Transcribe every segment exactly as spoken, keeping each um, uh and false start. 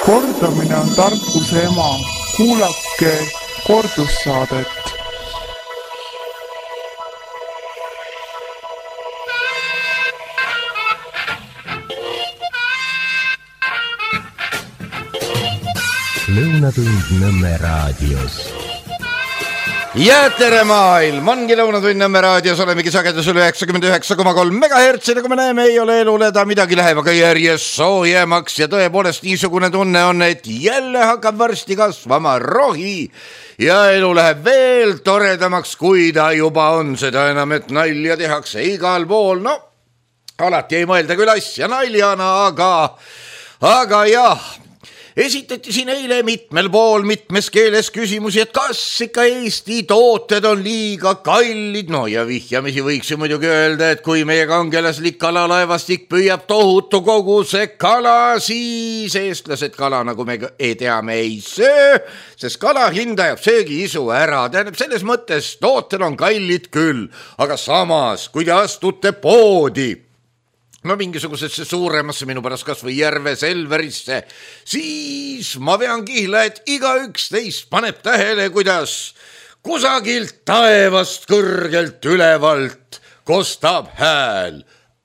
Kordamine on tarkuse ema. Kuulake kordussaadet. Lõunatund Nõmme raadios. Ja tere maailm, ongi Lõunatund Nõmme raadios, olemegi sagedusel üheksakümmend üheksa koma kolm megahertsi, nagu me näeme, ei ole elule ta midagi läheb, aga järjest soojemaks ja tõepoolest niisugune tunne on, et jälle hakkab varsti kasvama rohi ja elu läheb veel toredamaks, kui ta juba on, seda enam, et nalja tehakse igal pool, no alati ei mõelda küll asja naljana, aga, aga jah, esitati siin eile mitmel pool mitmes keeles küsimusi, et kas ikka Eesti tooted on liiga kallid, no ja vihjamisi võiks ju muidugi öelda, et kui meie kangelaslik kalalaevastik püüab tohutu koguse kala, siis eestlased kala, nagu me teame, ei söö, sest kala hinda jääb söögiisu ära, tähendab selles mõttes tooted on kallid küll, aga samas, kui te astute poodi, no mingisugusesse suuremasse minu pärast kas või järve Selverisse, siis ma vean kihla, et igaüks teist paneb tähele, kuidas kusagilt taevast kõrgelt ülevalt kostab hääl.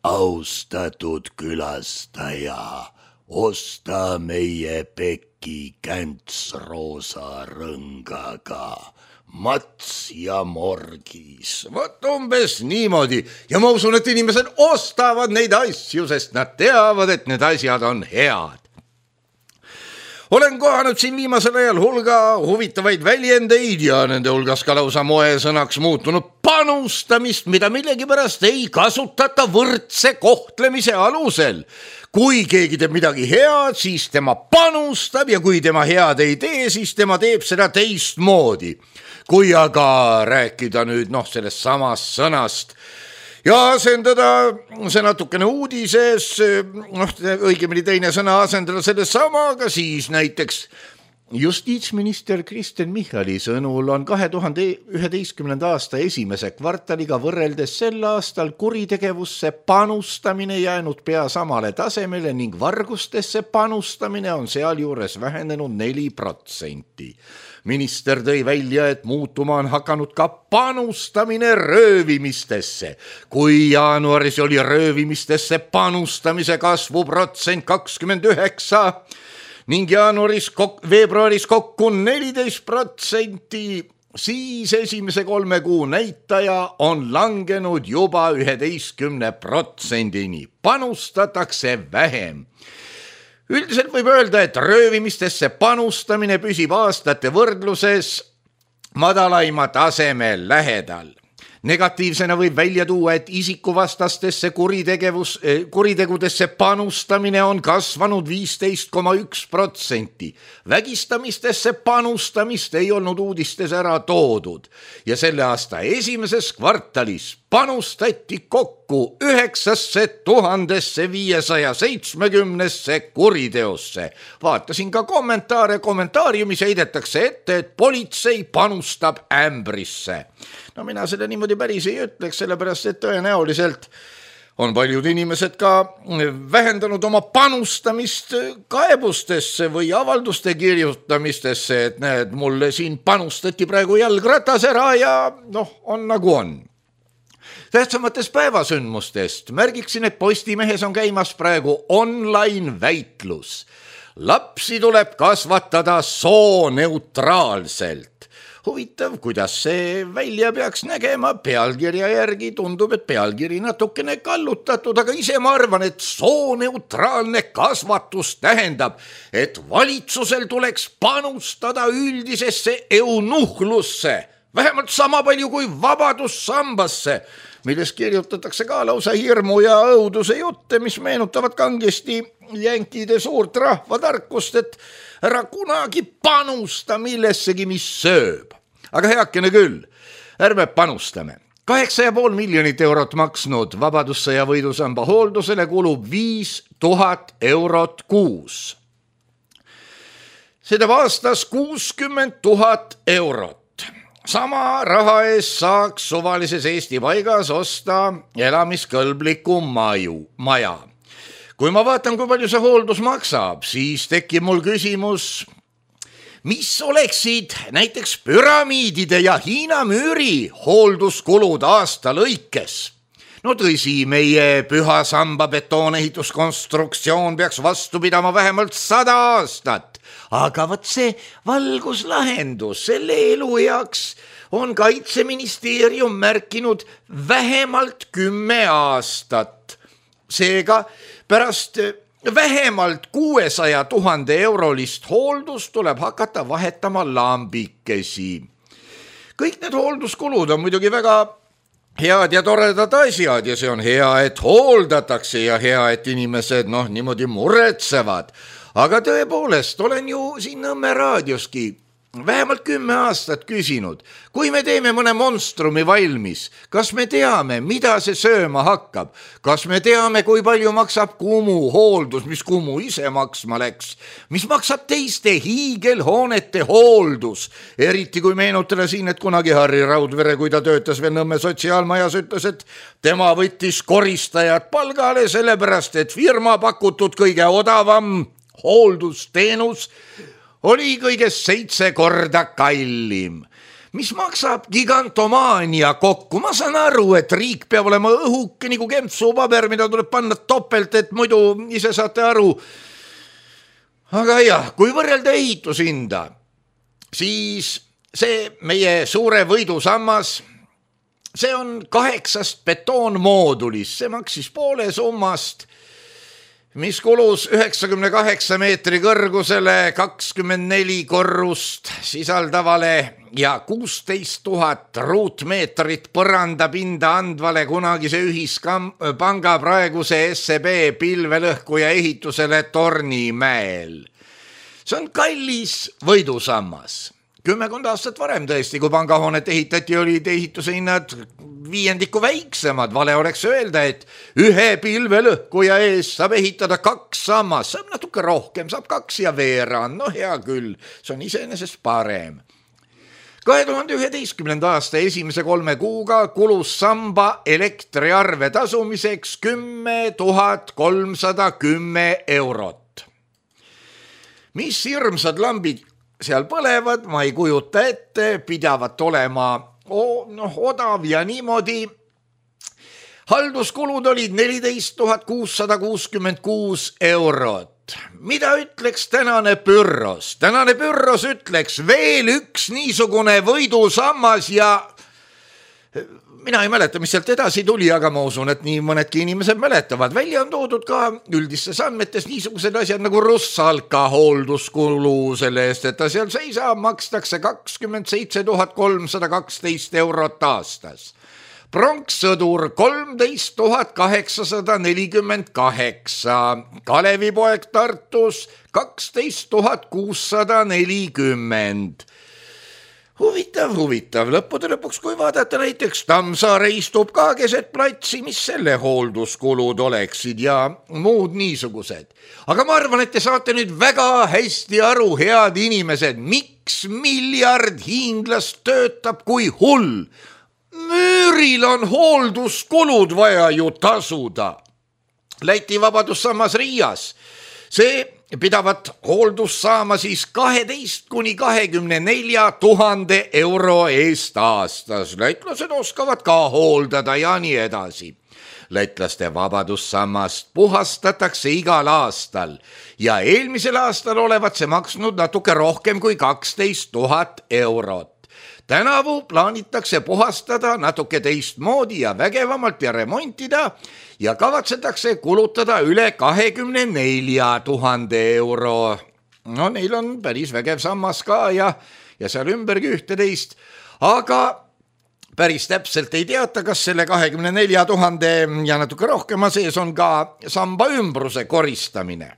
Austatud külastaja, osta meie peki känts roosa rõngaga. Mats ja morgis. Vot umbes niimoodi. Ja ma usun, et inimesed ostavad neid asju, sest nad teavad, et need asjad on head. Olen kohanud siin viimasel ajal hulga huvitavaid väljendeid ja nende hulgas ka lausa moesõnaks muutunud panustamist, mida millegipärast ei kasutata võrdse kohtlemise alusel. Kui keegi teeb midagi head, siis tema panustab ja kui tema head ei tee, siis tema teeb seda teistmoodi. Kui aga rääkida nüüd noh, sellest samast sõnast ja asendada see natukene uudises, noh, õigemini teine sõna asendada selle samaga, siis näiteks justiitsminister Kristen Michali sõnul on kahe tuhande üheteistkümnenda aasta esimese kvartaliga võrreldes sel aastal kuritegevusse panustamine jäänud pea samale tasemele ning vargustesse panustamine on sealjuures vähenenud neli protsenti. Minister tõi välja, et muutuma on hakanud ka panustamine röövimistesse. Kui jaanuaris oli röövimistesse panustamise kasvu protsent kakskümmend üheksa ning jaanuaris, veebruaris kokku neliteist protsenti, siis esimese kolme kuu näitaja on langenud juba üheteistkümne protsendini. Panustatakse vähem. Üldiselt võib öelda, et röövimistesse panustamine püsib aastate võrdluses madalaima tasemel lähedal. Negatiivsena võib välja tuua, et isikuvastastesse kuritegevus, kuritegudesse panustamine on kasvanud viisteist koma üks protsenti. Vägistamistesse panustamist ei olnud uudistes ära toodud ja selle aasta esimeses kvartalis panustati kokku üheksasse tuhandesse viiesaja seitsmekümnesse kuriteosse. Vaatasin ka kommentaare, kommentaariumis heidetakse ette, et politsei panustab ämbrisse. No mina seda niimoodi päris ei ütleks, sellepärast et tõenäoliselt on paljud inimesed ka vähendanud oma panustamist kaebustesse või avalduste kirjutamistesse, et näed, mulle siin panustati praegu jalgratas ära ja noh, on nagu on. Tähtsamates päevasündmustest märgiksin, et Postimehes on käimas praegu online väitlus. Lapsi tuleb kasvatada sooneutraalselt. Huvitav, kuidas see välja peaks nägema, pealkirja järgi tundub, et pealkiri natukene kallutatud, aga ise ma arvan, et sooneutraalne kasvatus tähendab, et valitsusel tuleks panustada üldisesse eunuhlusse, vähemalt sama palju kui vabadussambasse, milles kirjutatakse ka lausa hirmu ja õuduse jutte, mis meenutavad kangesti jänkide suurt rahvatarkust, et ära kunagi panusta millessegi, mis sööb. Aga heakene küll, ärme panustame. Kaheksa ja pool miljonit eurot maksnud vabadussõja võidusamba hooldusele kulub viis tuhat eurot kuus. Seda aastas kuuskümmend tuhat eurot. Sama raha eest saaks suvalises Eesti paigas osta elamiskõlbliku maju, maja. kui ma vaatan, kui palju see hooldus maksab, siis tekib mul küsimus, mis oleksid näiteks püramiidide ja Hiina müüri hoolduskulud aasta lõikes? No tõsi, meie püha samba betoonehituskonstruktsioon peaks vastu pidama vähemalt sada aastat, aga võt see valguslahendus selle elueaks on Kaitseministeerium märkinud vähemalt kümme aastat. Seega pärast vähemalt kuuesaja tuhande eurolist hooldust tuleb hakata vahetama lambikesi. Kõik need hoolduskulud on muidugi väga head ja toredad asjad ja see on hea, et hooldatakse ja hea, et inimesed noh niimoodi muretsevad. Aga tõepoolest, olen ju siin Nõmme raadioski vähemalt kümme aastat küsinud, kui me teeme mõne monstrumi valmis, kas me teame, mida see sööma hakkab, kas me teame, kui palju maksab Kumu hooldus, mis Kumu ise maksma läks, mis maksab teiste hiigelhoonete hooldus, eriti kui meenutada siin, et kunagi Harri Raudvere, kui ta töötas veel Nõmme sotsiaalmajas, ütles, et tema võttis koristajad palgale sellepärast, et firma pakutud kõige odavam hooldusteenus oli kõigest seitse korda kallim, mis maksab gigantomaania kokku. Ma saan aru, et riik peab olema õhuke nagu kempsupaber, mida tuleb panna topelt, et muidu ise saate aru. Aga jah, kui võrrelda ehitushinda, siis see meie suure võidusammas, see on kaheksast betoonmoodulist, see maksis poole summast, mis kulus üheksakümne kaheksa meetri kõrgusele, kakskümmend neli korrust sisaldavale ja kuusteist tuhat ruutmeetrit põrandapinda andvale kunagise ühispanga praeguse S E B pilvelõhkuja ehitusele Tornimäel. See on kallis võidusammas. Kümmekond aastat varem tõesti, kui pangahoonet ehitati, olid ehituse hinnad viiendiku väiksemad. Vale oleks öelda, et ühe pilvelõhkuja ees saab ehitada kaks sammas, saab natuke rohkem, saab kaks ja veerand, no hea küll, see on iseenesest parem. kahe tuhande üheteistkümnenda aasta esimese kolme kuuga kulus samba elektriarve tasumiseks kümme tuhat kolmsada kümme eurot. Mis hirmsad lambid seal põlevad, ma ei kujuta ette, pidavat olema o, noh, odav ja niimoodi. Halduskulud olid neliteist tuhat kuussada kuuskümmend kuus eurot. Mida ütleks tänane pürros? Tänane pürros ütleks veel üks niisugune võidusammas ja mina ei mäleta, mis sealt edasi tuli, aga ma usun, et nii mõnedki inimesed mäletavad. Välja on toodud ka üldistes andmetes niisugused asjad nagu Russalka hoolduskulu selle eest, et ta seal seisab, makstakse kakskümmend seitse tuhat kolmsada kaksteist eurot aastas. Pronkssõdur kolmteist tuhat kaheksasada nelikümmend kaheksa, Kalevipoeg Tartus kaksteist tuhat kuussada nelikümmend. Huvitav, huvitav, lõppude lõpuks, kui vaadata näiteks Tammsaare istub ka keset platsi, mis selle hoolduskulud oleksid ja muud niisugused. Aga ma arvan, et te saate nüüd väga hästi aru, head inimesed, miks miljard hiinglast töötab kui hull. Müüril on hoolduskulud vaja ju tasuda. Läti Vabadussammas Riias, see pidavat hooldus saama siis kaheteist kuni kahekümne nelja tuhande euro eest aastas. Lätlased oskavad ka hooldada ja nii edasi. Lätlaste Vabadussammast puhastatakse igal aastal ja eelmisel aastal olevat see maksnud natuke rohkem kui kaksteist tuhat eurot. Tänavu plaanitakse puhastada natuke teistmoodi ja vägevamalt ja remontida ja kavatsetakse kulutada üle kahekümne nelja tuhande euro. No neil on päris vägev sammas ka ja, ja seal ümbergi ühteteist, aga päris täpselt ei teata, kas selle kahekümne nelja tuhande ja natuke rohkema sees on ka samba ümbruse koristamine.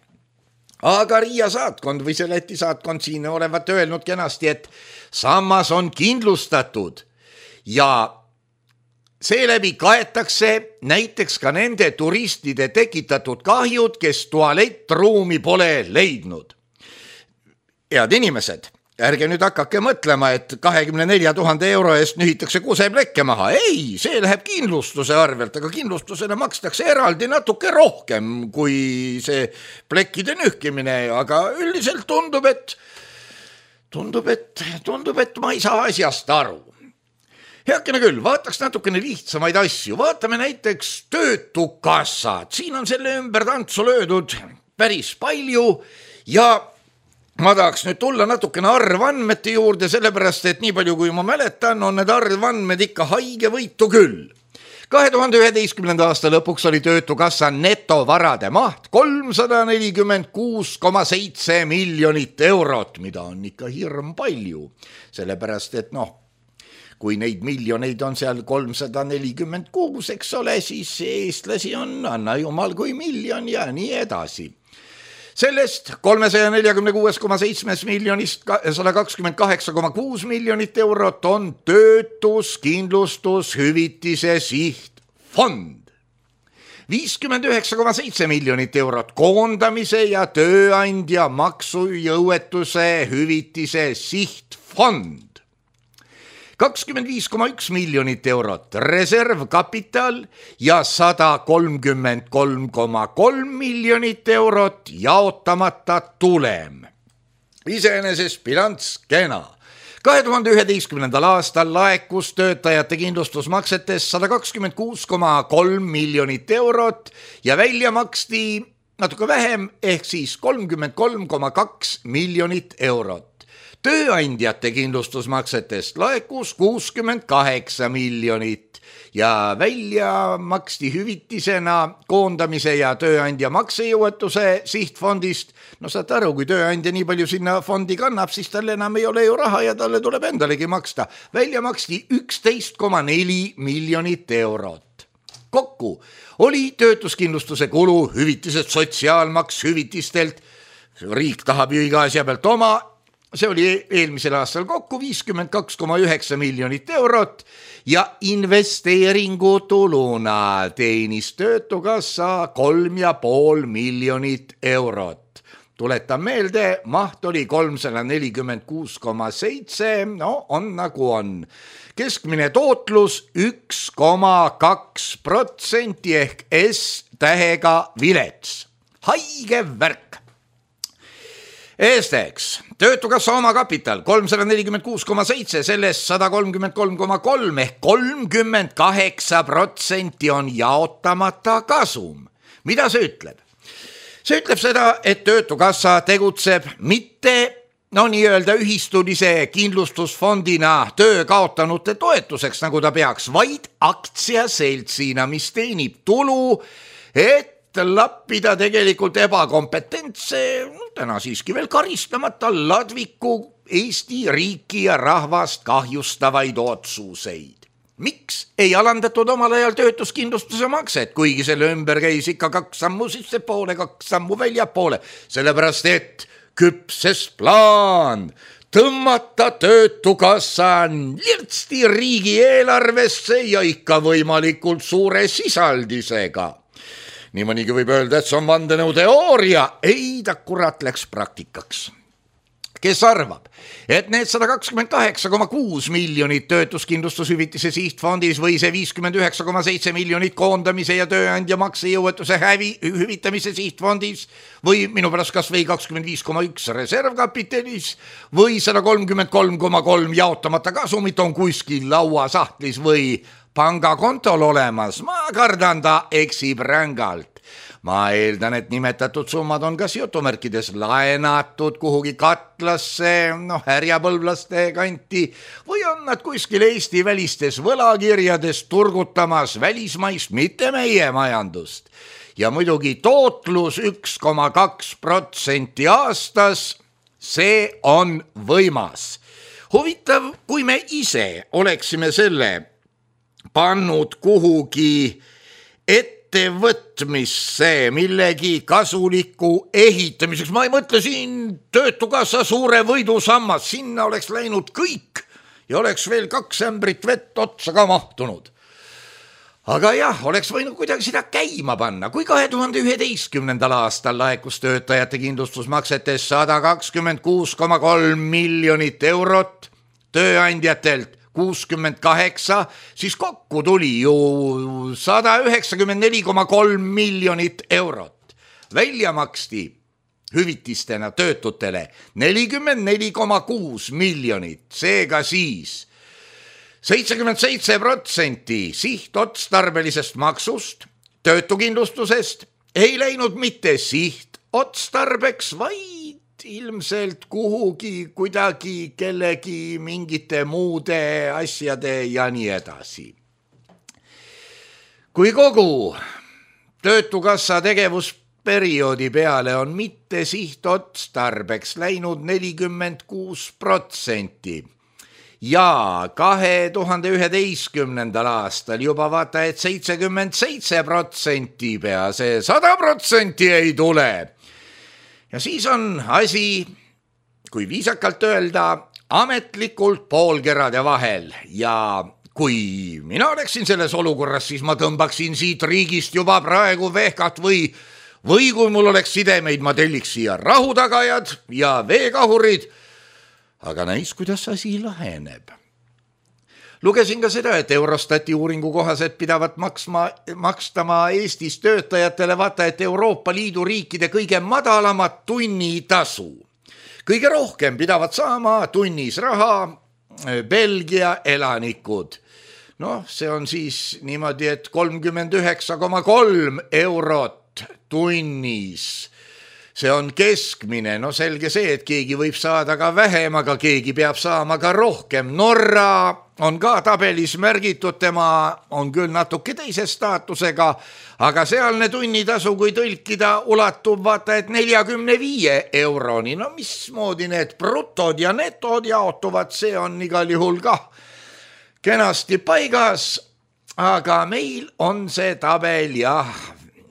Aga Riia saatkond või see Läti saatkond siin olevat öelnud kenasti, et sammas on kindlustatud ja seeläbi kaetakse näiteks ka nende turistide tekitatud kahjud, kes tualettruumi pole leidnud. Head inimesed, ärge nüüd hakake mõtlema, et kahekümne nelja tuhande euro eest nühitakse kuseplekke maha. Ei, see läheb kindlustuse arvelt, aga kindlustusele makstakse eraldi natuke rohkem kui see plekkide nühkimine, aga üldiselt tundub, et tundub, et tundub, et ma ei saa asjast aru. Heakene küll, vaataks natukene lihtsamaid asju. Vaatame näiteks töötukassad. Siin on selle ümber tantsu löödud päris palju ja ma tahaks nüüd tulla natukene arvandmete juurde, sellepärast, et nii palju kui ma mäletan, on need arvandmed ikka haige võitu küll. kahe tuhande üheteistkümnenda aasta lõpuks oli töötukassa netovarade maht kolmsada nelikümmend kuus koma seitse miljonit eurot, mida on ikka hirm palju, sellepärast, et noh, kui neid miljoneid on seal kolmsada nelikümmend kuus, eks ole, siis eestlasi on, anna jumal kui miljon ja nii edasi. Sellest kolmesaja neljakümne kuus koma seitse miljonist sada kakskümmend kaheksa koma kuus miljonit eurot on töötuskindlustus hüvitise sihtfond. viiskümmend üheksa koma seitse miljonit eurot koondamise ja tööandja maksujõuetuse hüvitise sihtfond. kakskümmend viis koma üks miljonit eurot reservkapital ja sada kolmkümmend kolm koma kolm miljonit eurot jaotamata tulem. Iseenesest bilanss kena. kahe tuhande üheteistkümnendal aastal laekus töötajate kindlustusmaksetest sada kakskümmend kuus koma kolm miljonit eurot ja välja maksti natuke vähem ehk siis kolmkümmend kolm koma kaks miljonit eurot. Tööandjate kindlustusmaksetest laekus kuuskümmend kaheksa miljonit ja välja maksti hüvitisena koondamise ja tööandja maksejõuetuse sihtfondist. No saad aru, kui tööandja nii palju sinna fondi kannab, siis tal enam ei ole ju raha ja talle tuleb endalegi maksta. Välja maksti üksteist koma neli miljonit eurot. Kokku oli töötuskindlustuse kulu, hüvitised, sotsiaalmaks hüvitistelt. Riik tahab ju iga asja pealt oma. See oli eelmisel aastal kokku viiskümmend kaks koma üheksa miljonit eurot ja investeeringutuluna teenis töötukassa kolm ja pool miljonit eurot. Tuletan meelde, maht oli kolmsada nelikümmend kuus koma seitse, no on nagu on. Keskmine tootlus üks koma kaks protsenti ehk S tähega vilets. Haige värk. Eesteks, töötukassa omakapital kolmsada nelikümmend kuus koma seitse, sellest sada kolmkümmend kolm koma kolm ehk kolmkümmend kaheksa protsenti on jaotamata kasum. Mida see ütleb? See ütleb seda, et töötukassa tegutseb mitte no nii öelda ühistulise kindlustusfondina töö kaotanute toetuseks, nagu ta peaks, vaid aktsiaseltsina, mis teenib tulu, et lappida tegelikult ebakompetentse, täna siiski veel karistamata ladviku Eesti riiki ja rahvast kahjustavaid otsuseid. Miks ei alandatud omal ajal töötuskindlustuse makset, kuigi selle ümber käis ikka kaks sammu sisse poole, kaks sammu välja poole, sellepärast et küpses plaan tõmmata töötukassa lirtsti riigieelarvesse ja ikka võimalikult suure sisaldisega. Nii mõnigi võib öelda, et see on vandenõuteooria. Ei, ta kurat läks praktikaks. Kes arvab, et need sada kakskümmend kaheksa koma kuus miljonit töötuskindlustushüvitise sihtfondis või see viiskümmend üheksa koma seitse miljonit koondamise ja tööandja maksejõuetuse hävi hüvitamise sihtfondis või minu pärast kas või kakskümmend viis koma üks reservkapitalis või sada kolmkümmend kolm koma kolm jaotamata kasumit on kuskil lauasahtlis või pangakontol olemas, ma kardan ta eksib rängalt. Ma eeldan, et nimetatud summad on kas jutumärkides laenatud kuhugi katlasse, noh, härjapõlvlaste kanti või on nad kuskil Eesti välistes võlakirjades turgutamas välismaist, mitte meie majandust. Ja muidugi tootlus üks koma kaks protsenti aastas, see on võimas. Huvitav, kui me ise oleksime selle pannud kuhugi ettevõtmisse millegi kasuliku ehitamiseks. Ma ei mõtle siin töötukassa suure võidusammas, sinna oleks läinud kõik ja oleks veel kaks ämbrit vett otsa ka mahtunud. aga jah, oleks võinud kuidagi seda käima panna, kui kahe tuhande üheteistkümnendal aastal laekus töötajate kindlustusmaksetes sada kakskümmend kuus koma kolm miljonit eurot, tööandjatelt kuuskümmend kaheksa, siis kokku tuli ju sada üheksakümmend neli koma kolm miljonit eurot. Välja maksti hüvitistena töötutele nelikümmend neli koma kuus miljonit, seega siis seitsekümmend seitse protsenti sihtotstarbelisest maksust töötukindlustusest ei läinud mitte sihtotstarbeks, vaid ilmselt kuhugi kuidagi kellegi mingite muude asjade ja nii edasi. Kui kogu töötukassa tegevusperioodi peale on mitte sihtotstarbeks läinud nelikümmend kuus protsenti ja kahe tuhande üheteistkümnendal aastal juba vaata, et seitsekümmend seitse protsenti pea, see sada protsenti ei tule. Ja siis on asi, kui viisakalt öelda, ametlikult poolkerade vahel ja kui mina oleksin selles olukorras, siis ma tõmbaksin siit riigist juba praegu vehkat või, või kui mul oleks sidemeid, ma telliks siia rahutagajad ja veekahurid, aga näis, kuidas asi laheneb. Lugesin ka seda, et Eurostati uuringu kohaselt pidavat maksma, makstama Eestis töötajatele vaata, et Euroopa Liidu riikide kõige madalamat tunnitasu. Kõige rohkem pidavat saama tunnis raha Belgia elanikud. Noh, see on siis niimoodi, et kolmkümmend üheksa koma kolm eurot tunnis. See on keskmine, no selge see, et keegi võib saada ka vähem, aga keegi peab saama ka rohkem. Norra on ka tabelis märgitud, tema on küll natuke teise staatusega, aga sealne tunnitasu, kui tõlkida, ulatub vaata, et neljakümne viie euroni. No mismoodi need brutod ja netod jaotuvad, see on igal juhul kah kenasti paigas, aga meil on see tabel jah,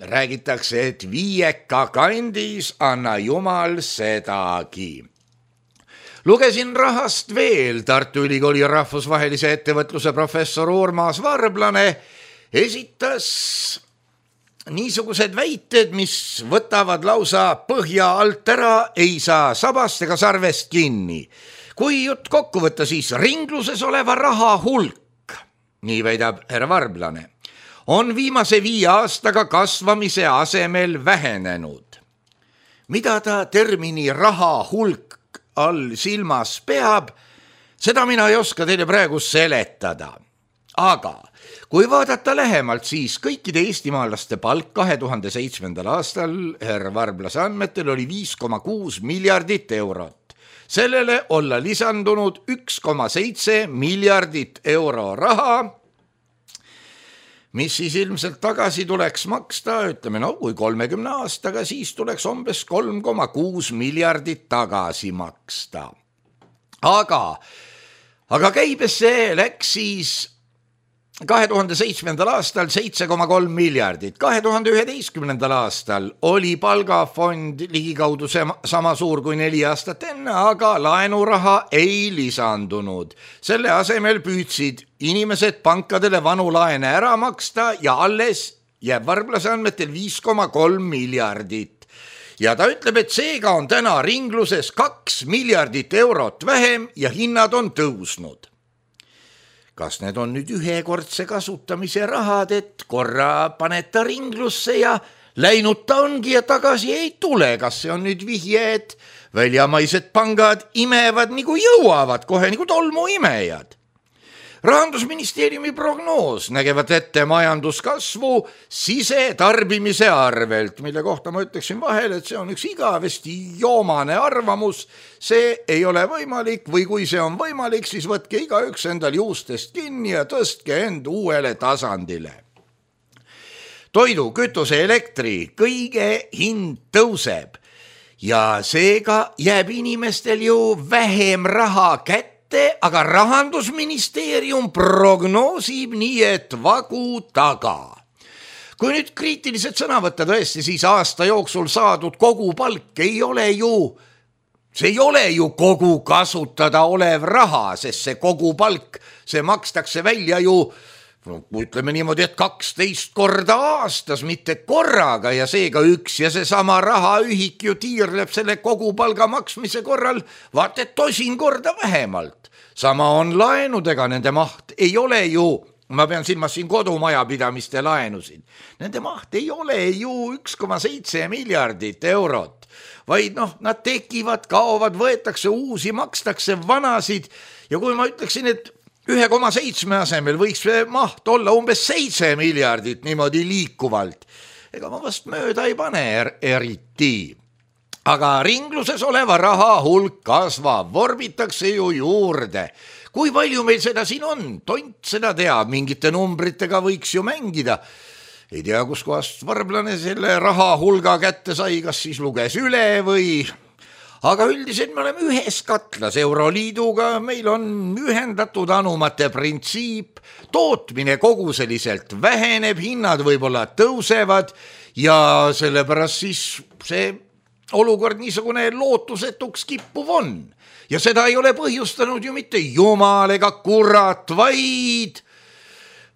räägitakse, et viieka kandis, anna jumal sedagi. Lugesin rahast veel. Tartu Ülikooli rahvusvahelise ettevõtluse professor Urmas Varblane esitas niisugused väited, mis võtavad lausa põhja alt ära, ei saa sabast ega sarvest kinni. Kui jutt kokku võtta, siis ringluses oleva raha hulk, nii väidab härra Varblane, on viimase viie aastaga kasvamise asemel vähenenud. Mida ta termini raha hulk all silmas peab, seda mina ei oska teile praegu seletada. Aga kui vaadata lähemalt, siis kõikide eestimaalaste palk kahe tuhande seitsmendal aastal härra Varblase andmetel oli viis koma kuus miljardit eurot. Sellele olla lisandunud üks koma seitse miljardit euro raha, mis siis ilmselt tagasi tuleks maksta, ütleme, no kui kolmekümne aastaga, siis tuleks umbes kolm koma kuus miljardit tagasi maksta. Aga, aga käibesse läks siis kahe tuhande seitsmendal aastal seitse koma kolm miljardit. kahe tuhande üheteistkümnendal aastal oli palgafond ligikaudu sama suur kui neli aastat enne, aga laenuraha ei lisandunud. Selle asemel püüdsid inimesed pankadele vanu laene ära maksta ja alles jääb Varblase andmetel viis koma kolm miljardit. Ja ta ütleb, et seega on täna ringluses kaks miljardit eurot vähem ja hinnad on tõusnud. Kas need on nüüd ühekordse kasutamise rahad, et korra paneta ringlusse ja läinud ta ongi ja tagasi ei tule? Kas see on nüüd vihje, et väljamaised pangad imevad nagu jõuavad, kohe nagu tolmuimejad? Rahandusministeeriumi prognoos nägevad ette majanduskasvu sisetarbimise arvelt, mille kohta ma ütleksin vahel, et see on üks igavesti joomane arvamus. See ei ole võimalik või kui see on võimalik, siis võtke igaüks endal juustest kinni ja tõstke end uuele tasandile. Toidu, kütuse, elektri, kõige hind tõuseb ja seega jääb inimestel ju vähem raha kätte. Aga Rahandusministeerium prognoosib nii, et vagu taga. Kui nüüd kriitilised sõna võtta tõesti, siis aasta jooksul saadud kogu palk ei ole ju, see ei ole ju kogu kasutada olev raha, sest see kogu palk, see makstakse välja ju ütleme niimoodi, et kaksteist korda aastas, mitte korraga ja seega üks ja seesama rahaühik ju tiirleb selle kogu palga maksmise korral vaat et tosin korda vähemalt. Sama on laenudega, nende maht ei ole ju, ma pean silmas siin kodumajapidamiste laenusid, nende maht ei ole ju üks koma seitse miljardit eurot, vaid noh, nad tekivad, kaovad, võetakse uusi, makstakse vanasid ja kui ma ütleksin, et üks koma seitse asemel võiks maht olla umbes seitse miljardit niimoodi liikuvalt. Ega ma vast mööda ei pane er eriti. Aga ringluses oleva raha hulk kasvab, vorbitakse ju juurde. Kui palju meil seda siin on? Tont seda teab, mingite numbritega võiks ju mängida. Ei tea, kus kohast varblane selle raha hulga kätte sai, kas siis luges üle või... Aga üldiselt me oleme ühes katlas Euroliiduga, meil on ühendatud anumate printsiip, tootmine koguseliselt väheneb, hinnad võib-olla tõusevad ja sellepärast siis see olukord niisugune lootusetuks kippuv on. Ja seda ei ole põhjustanud ju mitte jumal ega kurat, vaid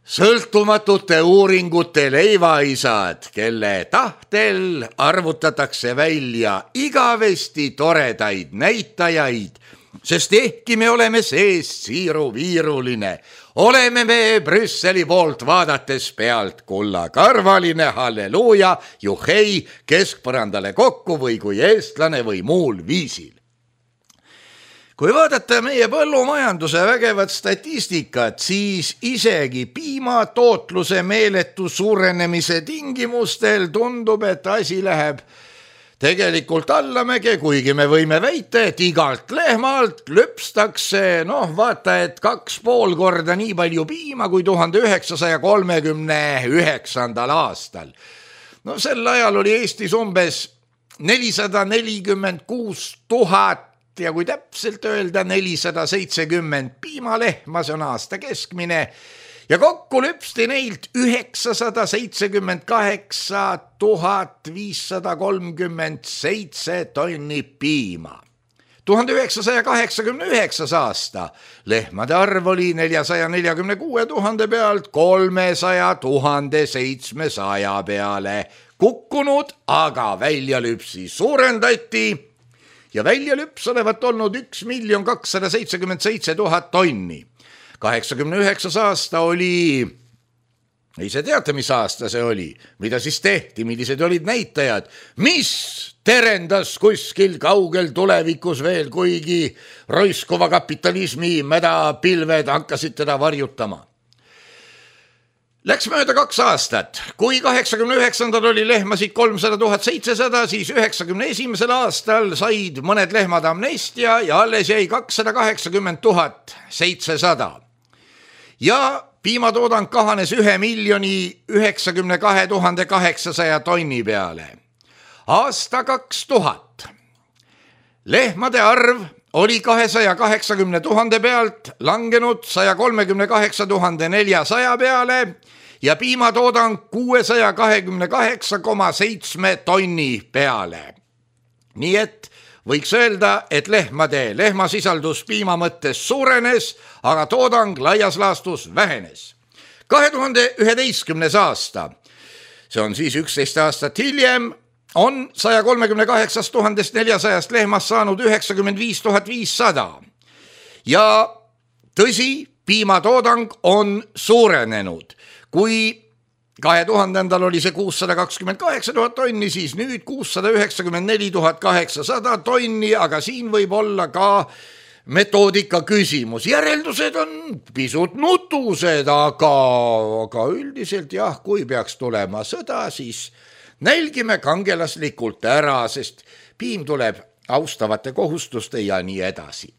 sõltumatute uuringute leivaisad, kelle tahtel arvutatakse välja igavesti toredaid näitajaid, sest ehkki me oleme sees siiruviiruline, oleme me Brüsseli poolt vaadates pealt kullakarvaline, halleluuja, juhei, keskpõrandale kokku või kui eestlane või muul viisil. Kui vaadata meie põllumajanduse vägevat statistikat, siis isegi piimatootluse meeletu suurenemise tingimustel tundub, et asi läheb tegelikult allamäge, kuigi me võime väita, et igalt lehmalt lüpstakse, noh vaata, et kaks pool korda nii palju piima kui tuhande üheksasaja kolmekümne üheksandal aastal. No sel ajal oli Eestis umbes nelisada nelikümmend kuus tuhat ja kui täpselt öelda nelisada seitsekümmend piimalehma, see on aasta keskmine, ja kokku lüpsti neilt üheksasada seitsekümmend kaheksa tuhat viissada kolmkümmend seitse tonni piima. tuhande üheksasaja kaheksakümne üheksas aasta lehmade arv oli neljasaja neljakümne kuue tuhande pealt kolmesaja tuhande seitsmesaja peale kukkunud, aga väljalüpsi suurendati ja väljalüps olevat olnud üks miljon kakssada seitsekümmend seitse tuhat tonni. kaheksakümne üheksas aasta oli, ei see teate, mis aasta see oli, mida siis tehti, millised olid näitajad, mis terendas kuskil kaugel tulevikus veel, kuigi roiskuva kapitalismi mädapilved hakkasid teda varjutama. Läks mööda kaks aastat, kui kaheksakümne üheksandal oli lehmasid kolmsada tuhat seitsesada, siis üheksakümne esimesel aastal said mõned lehmad amnestia ja alles jäi kakssada kaheksakümmend tuhat seitsesada. Ja piimatoodang kahanes ühe miljoni üheksakümne kahe tuhande kaheksasaja tonni peale. Aasta kaks tuhat. Lehmade arv oli kahesaja kaheksakümne tuhande pealt langenud saja kolmekümne kaheksa tuhande neljasaja peale ja piimatoodang kuuesaja kahekümne kaheksa koma seitse tonni peale. Nii et võiks öelda, et lehmade lehmasisaldus piima mõttes suurenes, aga toodang laias laastus vähenes. kahe tuhande üheteistkümnes aasta, see on siis üksteist aastat hiljem, on saja kolmekümne kaheksast tuhandest neljasajast lehmast saanud üheksakümmend viis tuhat viissada. Ja tõsi, piimatoodang on suurenenud. Kui kahe tuhandendal oli see kuussada kakskümmend kaheksa tuhat tonni, siis nüüd kuussada üheksakümmend neli tuhat kaheksasada tonni, aga siin võib olla ka metoodika küsimus. Järeldused on pisut nutused, aga, aga üldiselt jah, kui peaks tulema sõda, siis nälgime kangelaslikult ära, sest piim tuleb austavate kohustuste ja nii edasi.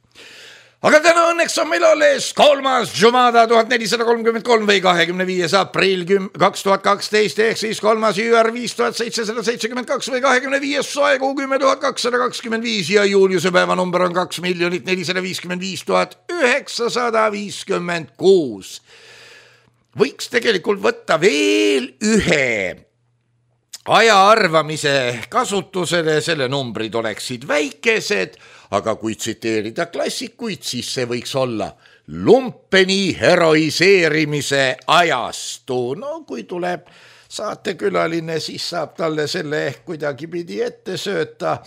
Aga täna õnneks on meil alles kolmas Jumada tuhat nelisada kolmkümmend kolm või kahekümne viies aprill kaks tuhat kaksteist ehk siis kolmas Jüär viis tuhat seitsesada seitsekümmend kaks või kahekümne viies soekuu kümme tuhat kakssada kakskümmend viis ja Juliuse päeva number on kaks miljonit nelisada viiskümmend viis tuhat üheksasada viiskümmend kuus. Võiks tegelikult võtta veel ühe aja arvamise kasutusele, selle numbrid oleksid väikesed, aga kui tsiteerida klassikuid, siis see võiks olla lumpeni heroiseerimise ajastu. No kui tuleb saatekülaline, siis saab talle selle ehk kuidagi pidi ette sööta,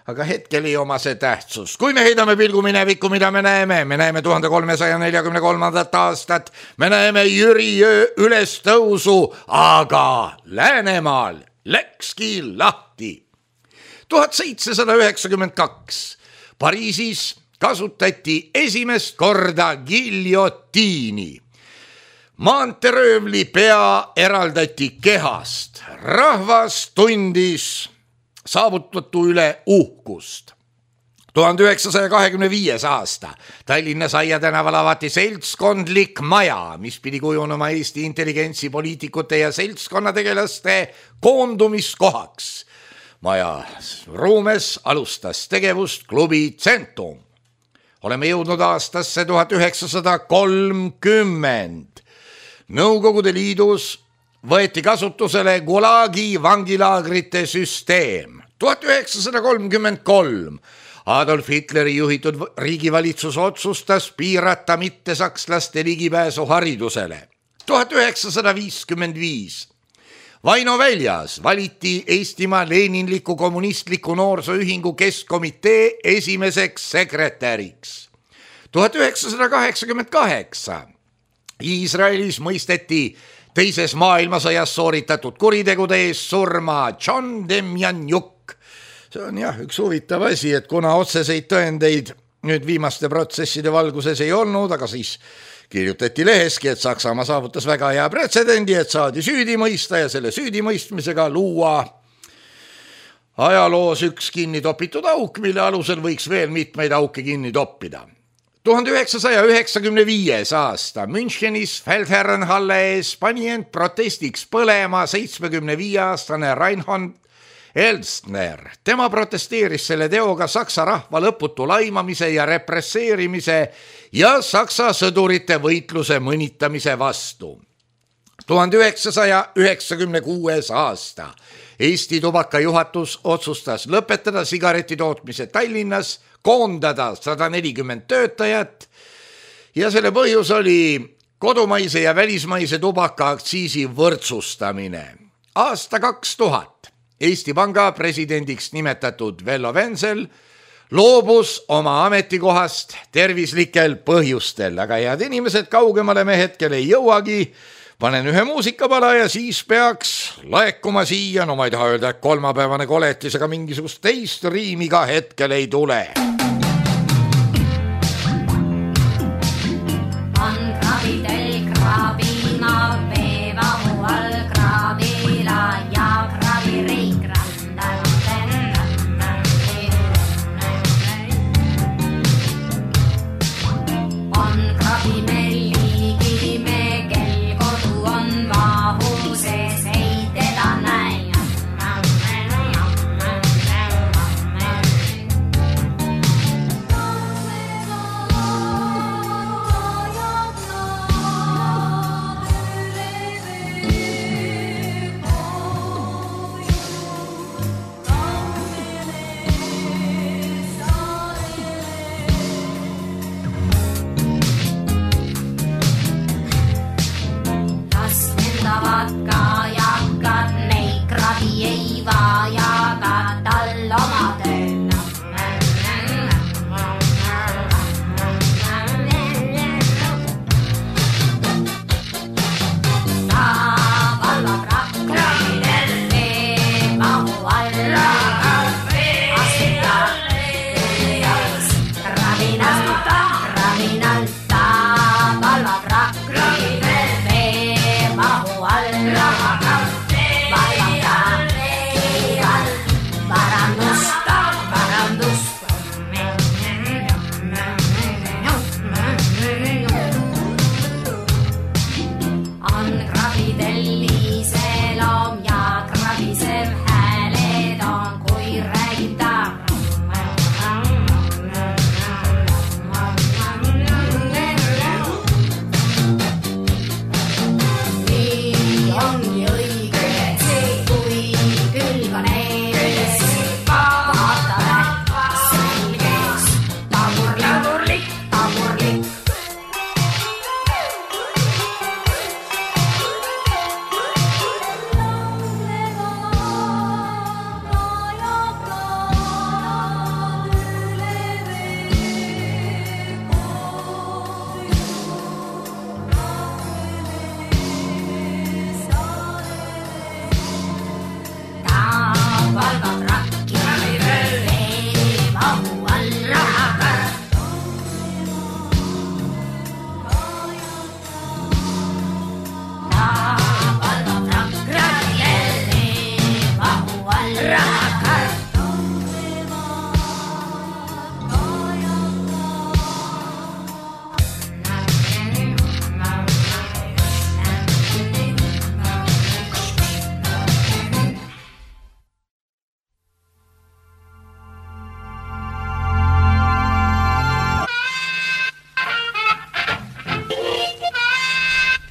aga hetkel ei oma see tähtsus. Kui me heidame pilgu minevikku, mida me näeme? Me näeme tuhande kolmesaja neljakümne kolmandat aastat, me näeme Jüri Jõe ülestõusu, aga Läänemaal läkski lahti. tuhat seitsesada üheksakümmend kaks Pariisis kasutati esimest korda giljotiini. Maanteröövli pea eraldati kehast. Rahvas tundis saavutatu üle uhkust. tuhande üheksasaja kahekümne viies aasta Tallinna Saia tänaval avati seltskondlik maja, mis pidi kujunema Eesti intelligentsi, poliitikute ja seltskonnategelaste koondumiskohaks. Maja ruumes alustas tegevust klubi Centum. Oleme jõudnud aastasse tuhat üheksasada kolmkümmend. Nõukogude Liidus võeti kasutusele Gulagi vangilaagrite süsteem. tuhat üheksasada kolmkümmend kolm Adolf Hitleri juhitud riigivalitsus otsustas piirata mittesakslaste ligipääsu haridusele. tuhat üheksasada viiskümmend viis Vaino Väljas valiti Eestimaa Leninliku kommunistliku noorsooühingu keskkomitee esimeseks sekretäriks. tuhat üheksasada kaheksakümmend kaheksa Iisraelis mõisteti teises maailmasõjas sooritatud kuritegude eest surma John Demjanjuk. See on jah üks huvitav asi, et kuna otseseid tõendeid nüüd viimaste protsesside valguses ei olnud, aga siis kirjutati leheski, et Saksamaa saavutas väga hea pretsedendi, et saadi süüdi mõista ja selle süüdimõistmisega luua ajaloos üks kinni topitud auk, mille alusel võiks veel mitmeid auke kinni toppida. tuhande üheksasaja üheksakümne viies aasta Münchenis Feldherrenhalle ees pani end protestiks põlema seitsmekümne viie aastane Reinhold Elstner. Tema protesteeris selle teoga Saksa rahva lõputu laimamise ja represseerimise ja Saksa sõdurite võitluse mõnitamise vastu. tuhande üheksasaja üheksakümne kuues aasta Eesti tubaka juhatus otsustas lõpetada sigareti tootmise Tallinnas, koondada sada nelikümmend töötajat ja selle põhjus oli kodumaise ja välismaise tubaka aktsiisi võrdsustamine. Aasta kaks tuhat Eesti Panga presidendiks nimetatud Vello Vensel loobus oma ametikohast tervislikel põhjustel, aga head inimesed, kaugemale me hetkel ei jõuagi. Panen ühe muusikapala ja siis peaks laekuma siia, no ma ei taha öelda, et kolmapäevane koletis, aga mingisugust teist riimi ka hetkel ei tule. On krabidel krabina, veevahu all krabila ja krabireik randal. On krabimelli kime, kel kodu on mahu sees, ei teda näi. Ei vajaga tal oma tööd. Ta valvab rakkuidel veemahu alla, astutab tööjaos rabinalt, rabinalt. Ta valvab rakkuidel veemahu alla, parandust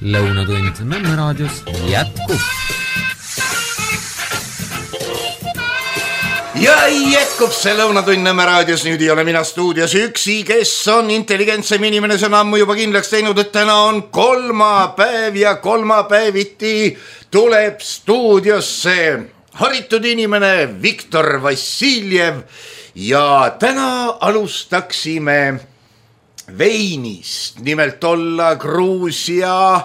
lõunatund Nõmme raadios jätkub. Ja jätkub see lõunatund Nõmme raadios, nüüd ei ole mina stuudios üksi, kes on intelligentsem inimene, see on ammu juba kindlaks teinud, et täna on kolmapäev ja kolmapäeviti tuleb stuudiosse haritud inimene Viktor Vassiljev ja täna alustaksime veinist, nimelt olla Gruusia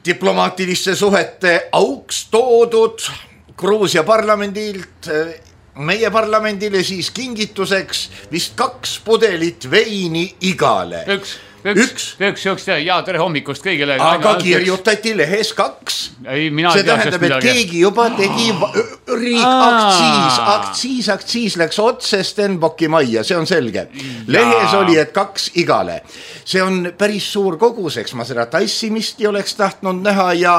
diplomaatiliste suhete auks toodud Gruusia parlamendilt meie parlamendile siis kingituseks vist kaks pudelit veini igale. Üks, üks, üks, üks, üks ja tere hommikust kõigile. Aga kirjutati lehes kaks. Ei, mina see tähendab, et keegi juba tegi riik aktsiis, aktsiis, aktsiis läks otse Stenbocki majja, see on selge. Lehes oli, et kaks igale. See on päris suur kogus, eks ma seda tassimist ei oleks tahtnud näha ja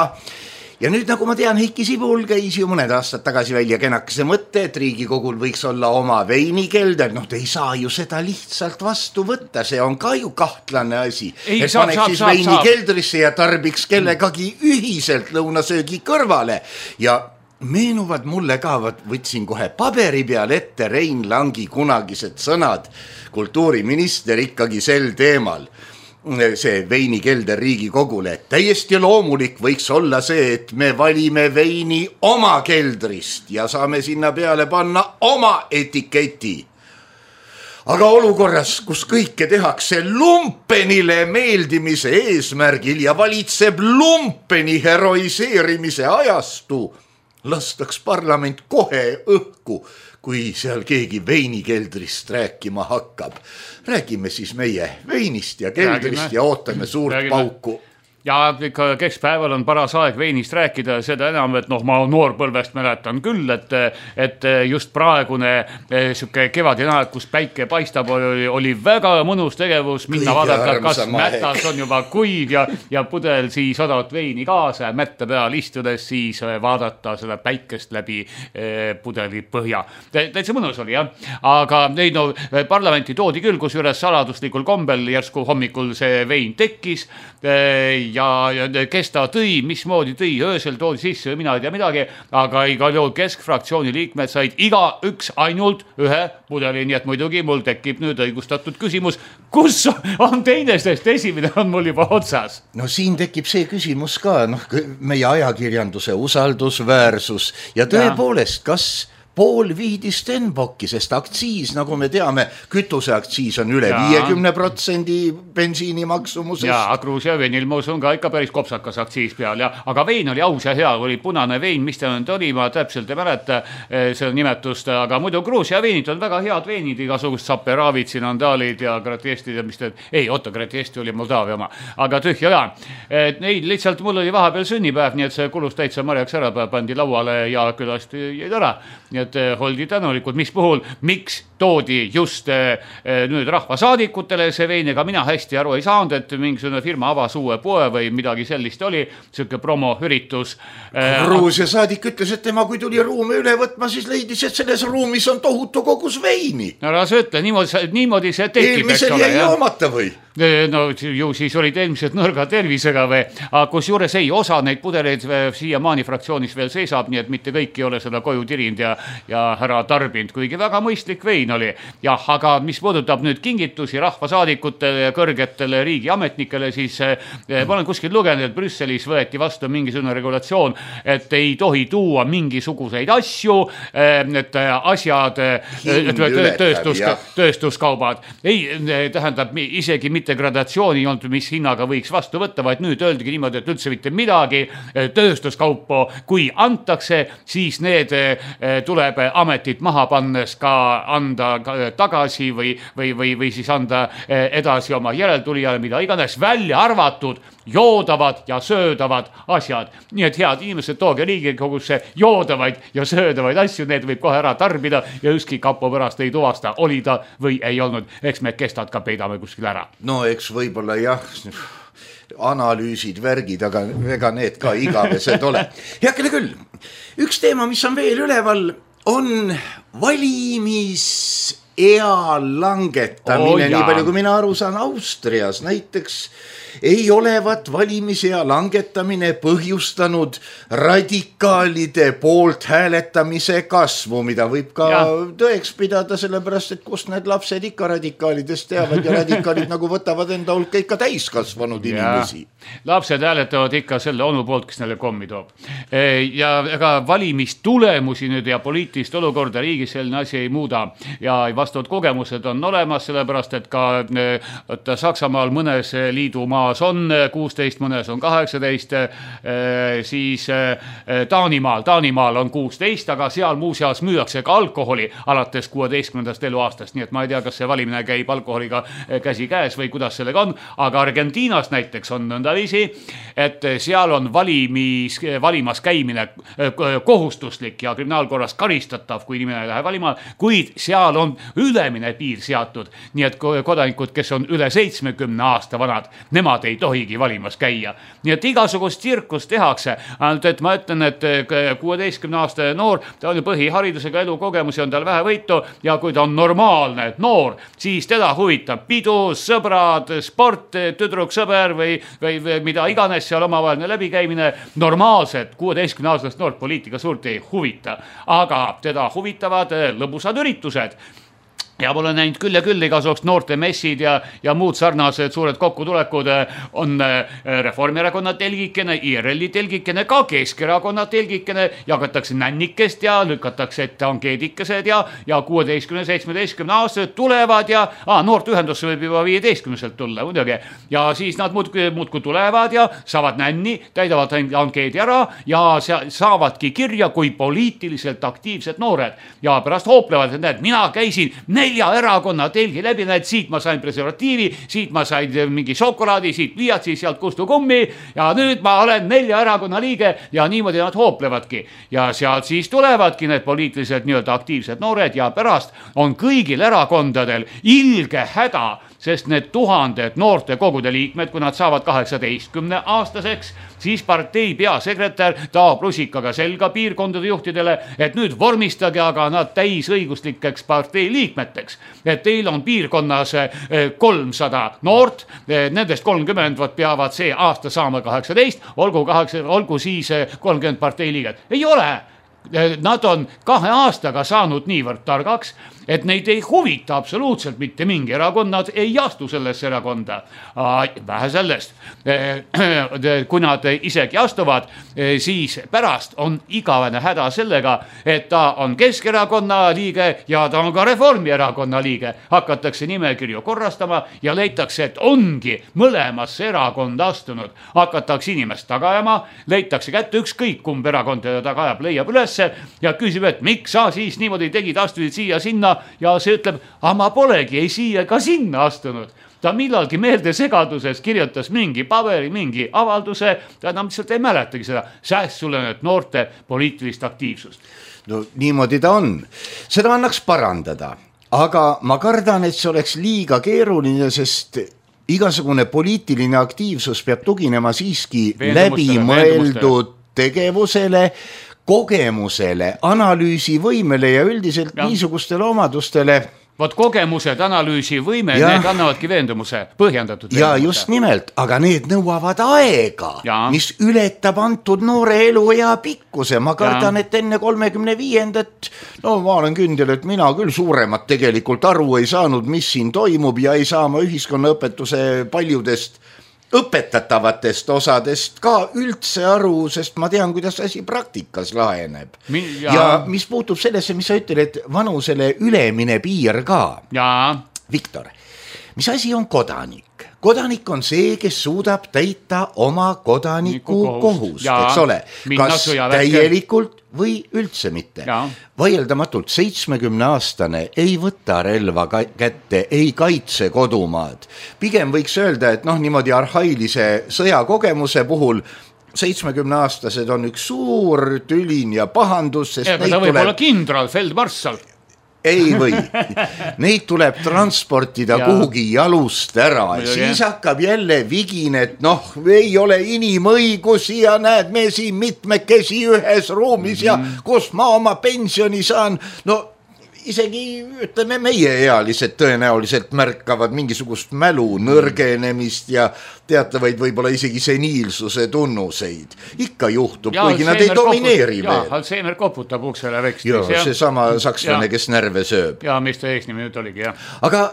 Ja nüüd nagu ma tean, Heiki Sibul käis ju mõned aastad tagasi välja kenakese mõtte, et Riigikogul võiks olla oma veinikelder. Noh, te ei saa ju seda lihtsalt vastu võtta, see on ka ju kahtlane asi. Ei, et saab, paneks saab, siis saab, veinikeldrisse ja tarbiks kellegagi ühiselt lõunasöögi kõrvale. Ja meenuvad mulle ka, võtsin kohe paberi peal ette Rein Langi kunagised sõnad, kultuuriminister ikkagi sel teemal. See veinikelder Riigikogule. Täiesti loomulik võiks olla see, et me valime veini oma keldrist ja saame sinna peale panna oma etiketi. Aga olukorras, kus kõike tehakse lumpenile meeldimise eesmärgil ja valitseb lumpeni heroiseerimise ajastu, lastaks parlament kohe õhku, kui seal keegi veinikeldrist rääkima hakkab. Räägime siis meie veinist ja keldrist Räägime. Ja ootame suurt Räägime. Pauku. Ja ikka keskpäeval on paras aeg veinist rääkida, seda enam, et noh, ma noorpõlvest mäletan küll, et, et just praegune siuke kevadine aeg, kus päike paistab, oli, oli väga mõnus tegevus, minna vaadata, kas mätas on juba kuiv ja, ja pudel siis odavat veini kaasa ja mätta peal istudes siis vaadata seda päikest läbi pudeli põhja. Täitsa mõnus oli, jah. Aga neid no, parlamenti toodi küll, kus üles saladuslikul kombel järsku hommikul see vein tekkis ja, ja kes ta tõi, mismoodi tõi, öösel toodi sisse, mina ei tea midagi, aga igal juhul keskfraktsiooni liikmed said iga üks ainult ühe pudeli, nii et muidugi mul tekib nüüd õigustatud küsimus, kus on teine, sest esimene on mul juba otsas. No siin tekib see küsimus ka, noh, meie ajakirjanduse usaldusväärsus ja tõepoolest, kas pool viidi Stenbocki, sest aktsiis, nagu me teame, kütuseaktsiis on üle viiekümne protsendi bensiini maksumusest. Ja Gruusia veinil ma usun ka ikka päris kopsakas aktsiis peal, ja, aga vein oli aus ja hea, oli punane vein, mis ta nüüd oli, ma täpselt ei mäleta seda nimetust, aga muidu Gruusia veinid on väga head veinid, igasugust Saperavid, Sinandaalid ja Gratiestid ja mis te, ei, oota, Gratiesti oli Moldaavia oma, aga tühja ka. Neid lihtsalt mul oli vahepeal sünnipäev, nii et see kulus täitsa marjaks ära, pandi lauale ja külast jäid ära. Nii et oldi tänulikud, mis puhul, miks toodi just nüüd rahvasaadikutele see vein, ega mina hästi aru ei saanud, et mingisugune firma avas uue poe või midagi sellist oli, siuke promoüritus. Gruusia saadik ütles, et tema kui tuli ruumi üle võtma, siis leidis, et selles ruumis on tohutu kogus veini. No ära sa ütle, niimoodi, niimoodi see tekib. Eelmisel jäi joomata või? No ju siis olid eelmised nõrga tervisega või, aga kus juures ei, osa neid pudeleid siia maani fraktsioonis veel seisab, nii et mitte kõik ei ole seda koju tirind ja, ja ära tarbinud, kuigi väga mõistlik vein oli. Jah, aga mis puudutab nüüd kingitusi rahvasaadikutele ja kõrgetele riigiametnikele, siis eh, ma olen kuskil lugenud, et Brüsselis võeti vastu mingisugune regulatsioon, et ei tohi tuua mingisuguseid asju, eh, et asjad, eh, tööstus, tööstuskaubad. Ei, tähendab isegi mitte gradatsiooni olnud, mis hinnaga võiks vastu võtta, vaid nüüd öeldigi niimoodi, et üldse mitte midagi tööstuskaupu, kui antakse, siis need tuleb ametit maha pannes ka anda tagasi või, või, või, või siis anda edasi oma järeltulijale, mida iganes välja arvatud joodavad ja söödavad asjad. Nii et head inimesed, tooge Riigikogusse joodavaid ja söödavaid asju, need võib kohe ära tarbida ja ükski kapo pärast ei tuvasta, oli ta või ei olnud. Eks me kestad ka peidame kuskil ära. No eks võib-olla jah, analüüsid, värgid, aga ega need ka igavesed ole. Heakene küll, üks teema, mis on veel üleval, on valimis ea langetamine Oh, oh, nii palju kui mina aru saan Austrias näiteks ei olevat valimisea langetamine põhjustanud radikaalide poolt hääletamise kasvu, mida võib ka ja. tõeks pidada, sellepärast, et kust need lapsed ikka radikaalidest teavad ja radikaalid nagu võtavad enda hulka ikka täiskasvanud inimesi. Lapsed hääletavad ikka selle onu poolt, kes neile kommi toob. Ja ega valimistulemusi nüüd ja poliitilist olukorda riigis selline asi ei muuda ja vastavad kogemused on olemas, sellepärast, et ka et Saksamaal mõnes liidumaa on kuusteist, mõnes on kaheksateist, siis Taanimaal, Taanimaal on kuusteist, aga seal muuseas müüakse ka alkoholi alates kuueteistkümnendast eluaastast, nii et ma ei tea, kas see valimine käib alkoholiga käsi käes või kuidas sellega on, aga Argentiinas näiteks on nõndaviisi, et seal on valimis, valimas käimine kohustuslik ja kriminaalkorras karistatav, kui inimene ei lähe valima, kuid seal on ülemine piir seatud, nii et kodanikud, kes on üle seitsmekümne aasta vanad, nemad ei tohigi valimas käia. Nii et igasugust tsirkust tehakse. Ainult, et ma ütlen, et kuueteistkümne aastane noor, ta on ju põhiharidusega elukogemusi, on tal vähe võitu ja kui ta on normaalne noor, siis teda huvitab pidu, sõbrad, sport, tüdruk, sõber või, või, või mida iganes seal omavaheline läbikäimine. Normaalselt kuueteistkümne aastast noort poliitika suurt ei huvita, aga teda huvitavad lõbusad üritused. Ja ma olen näinud küll ja küll igasugust noorte messid ja, ja muud sarnased suured kokkutulekud on Reformierakonna telgikene, I R L-i telgikene, ka Keskerakonna telgikene, jagatakse nännikest ja lükatakse ette ankeedikesed ja, ja kuueteistkümne seitsmeteistkümne aastased tulevad ja ah, noort ühendusse võib juba viieteistkümneselt tulla muidugi. Ja siis nad muudku, muudku tulevad ja saavad nänni, täidavad ankeedi ära ja saavadki kirja kui poliitiliselt aktiivsed noored. Ja pärast hooplevad, et näed, mina käisin nelja erakonna telgi läbi, näed, siit ma sain preservatiivi, siit ma sain mingi šokolaadi, siit pliiatsi, sealt kustu kummi ja nüüd ma olen nelja erakonna liige ja niimoodi nad hooplevadki. Ja sealt siis tulevadki need poliitiliselt nii-öelda aktiivsed noored ja pärast on kõigil erakondadel ilge häda, sest need tuhanded noorte kogude liikmed, kui nad saavad kaheksateistkümne aastaseks, siis partei peasekretär taab rusikaga selga piirkondade juhtidele, et nüüd vormistage aga nad täisõiguslikeks partei liikmeteks. Et teil on piirkonnas kolmsada noort, nendest kolmkümmend peavad see aasta saama kaheksateist, olgu, kaheksa, olgu siis kolmkümmend partei liiget. Ei ole! Nad on kahe aastaga saanud niivõrd targaks, et neid ei huvita absoluutselt mitte mingi erakond, nad ei astu sellesse erakonda. Vähe sellest, kui nad isegi astuvad, siis pärast on igavene häda sellega, et ta on Keskerakonna liige ja ta on ka Reformierakonna liige. Hakatakse nimekirju korrastama ja leitakse, et ongi mõlemasse erakonda astunud. Hakatakse inimest tagajama, leitakse kätte ükskõik kumb erakond teda tagajab, leiab ülesse ja küsib, et miks sa siis niimoodi tegid, astusid siia sinna ja see ütleb, aga ma polegi ei siia ka sinna astunud. Ta millalgi meelde segaduses kirjutas mingi paberi, mingi avalduse, ta enam lihtsalt ei mäletagi seda säästulenud noorte poliitilist aktiivsust. No niimoodi ta on. Seda annaks parandada, aga ma kardan, et see oleks liiga keeruline, sest igasugune poliitiline aktiivsus peab tuginema siiski läbimõeldud tegevusele, kogemusele, analüüsivõimele ja üldiselt ja. niisugustele omadustele. Vot kogemused, analüüsivõime, ja. need annavadki veendumuse, põhjendatud veendumuse. Ja just nimelt, aga need nõuavad aega, ja. mis ületab antud noore elu ja pikkuse. Ma kardan, ja. et enne kolmekümne viiendat, no ma olen kündel, et mina küll suuremat tegelikult aru ei saanud, mis siin toimub ja ei saa ma ühiskonnaõpetuse paljudest õpetatavatest osadest ka üldse aru, sest ma tean, kuidas asi praktikas laheneb. Ja, ja mis puutub sellesse, mis sa ütled, et vanusele ülemine piir ka. Ja. Viktor, mis asi on kodanik? Kodanik on see, kes suudab täita oma kodaniku kohust, eks ole, kas täielikult või üldse mitte. Ja. Vaieldamatult seitsmekümne aastane ei võta relva kätte, ei kaitse kodumaad. Pigem võiks öelda, et noh, niimoodi arhailise sõjakogemuse puhul seitsmekümne aastased on üks suur tülin ja pahandus, sest Ega ta võib tuleb... olla kindral, feldmarssal. Ei või, neid tuleb transportida ja. kuhugi jalust ära ja siis hakkab jälle vigine, et noh, ei ole inimõigusi ja näed, me siin mitmekesi ühes ruumis mm-hmm. ja kus ma oma pensioni saan, no isegi ütleme meie ealised tõenäoliselt märkavad mingisugust mälu nõrgenemist ja teatavaid võib-olla isegi seniilsuse tunnuseid. Ikka juhtub, ja, kuigi nad ei domineeri koput, veel. Alzheimer koputab uksele vekstis. Joo, see sama sakslane, kes närve sööb. Ja, mis ta eesnimi nüüd oligi, jah. Aga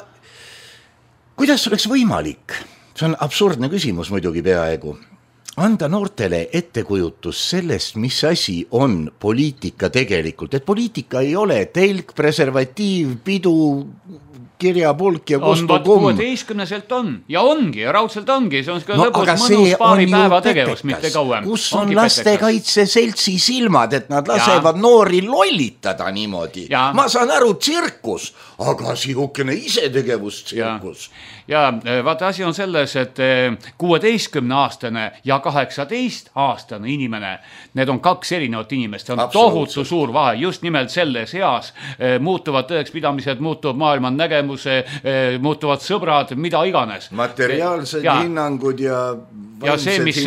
kuidas oleks võimalik? See on absurdne küsimus muidugi peaaegu. Anda noortele ettekujutus sellest, mis asi on poliitika tegelikult. Et poliitika ei ole telk, preservatiiv, pidu, kirjapulk ja kostukumm. On kuueteistkümneselt on ja ongi ja raudselt ongi. See on no, lõbus mõnus paari päeva tegevus, mitte kauem. Kus on lastekaitse seltsi silmad, et nad lasevad ja. Noori lollitada niimoodi. Ja. Ma saan aru tsirkus, aga sihukene isetegevus tsirkus. Ja, ja vaata asi on selles, et kuueteistkümne aastane ja kaheksateist aastane inimene, need on kaks erinevat inimest, see on tohutu suur vahe, just nimelt selles eas muutuvad tõekspidamised, muutub maailma nägemus, muutuvad sõbrad, mida iganes. Materiaalsed ja. Hinnangud ja ja see, mis,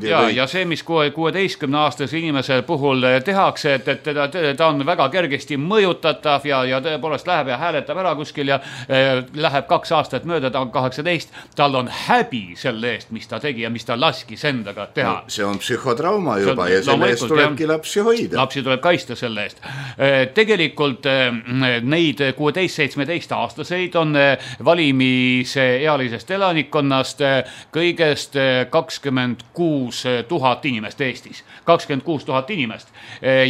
ja, ja see, mis kuueteistkümne aastase inimese puhul tehakse, et, et teda, ta on väga kergesti mõjutatav ja, ja tõepoolest läheb ja hääletab ära kuskil ja eh, läheb kaks aastat mööda, ta on kaheksateist, tal on häbi selle eest, mis ta tegi ja mis ta laskis endaga teha. No, see on psühhotrauma juba on, ja selle eest tulebki lapsi hoida. Lapsi tuleb kaista selle eest. Tegelikult neid kuueteist seitsmeteist aastaseid on valimise ealisest elanikkonnast kõigest kakskümmend kuus tuhat inimest Eestis. kakskümmend kuus tuhat inimest.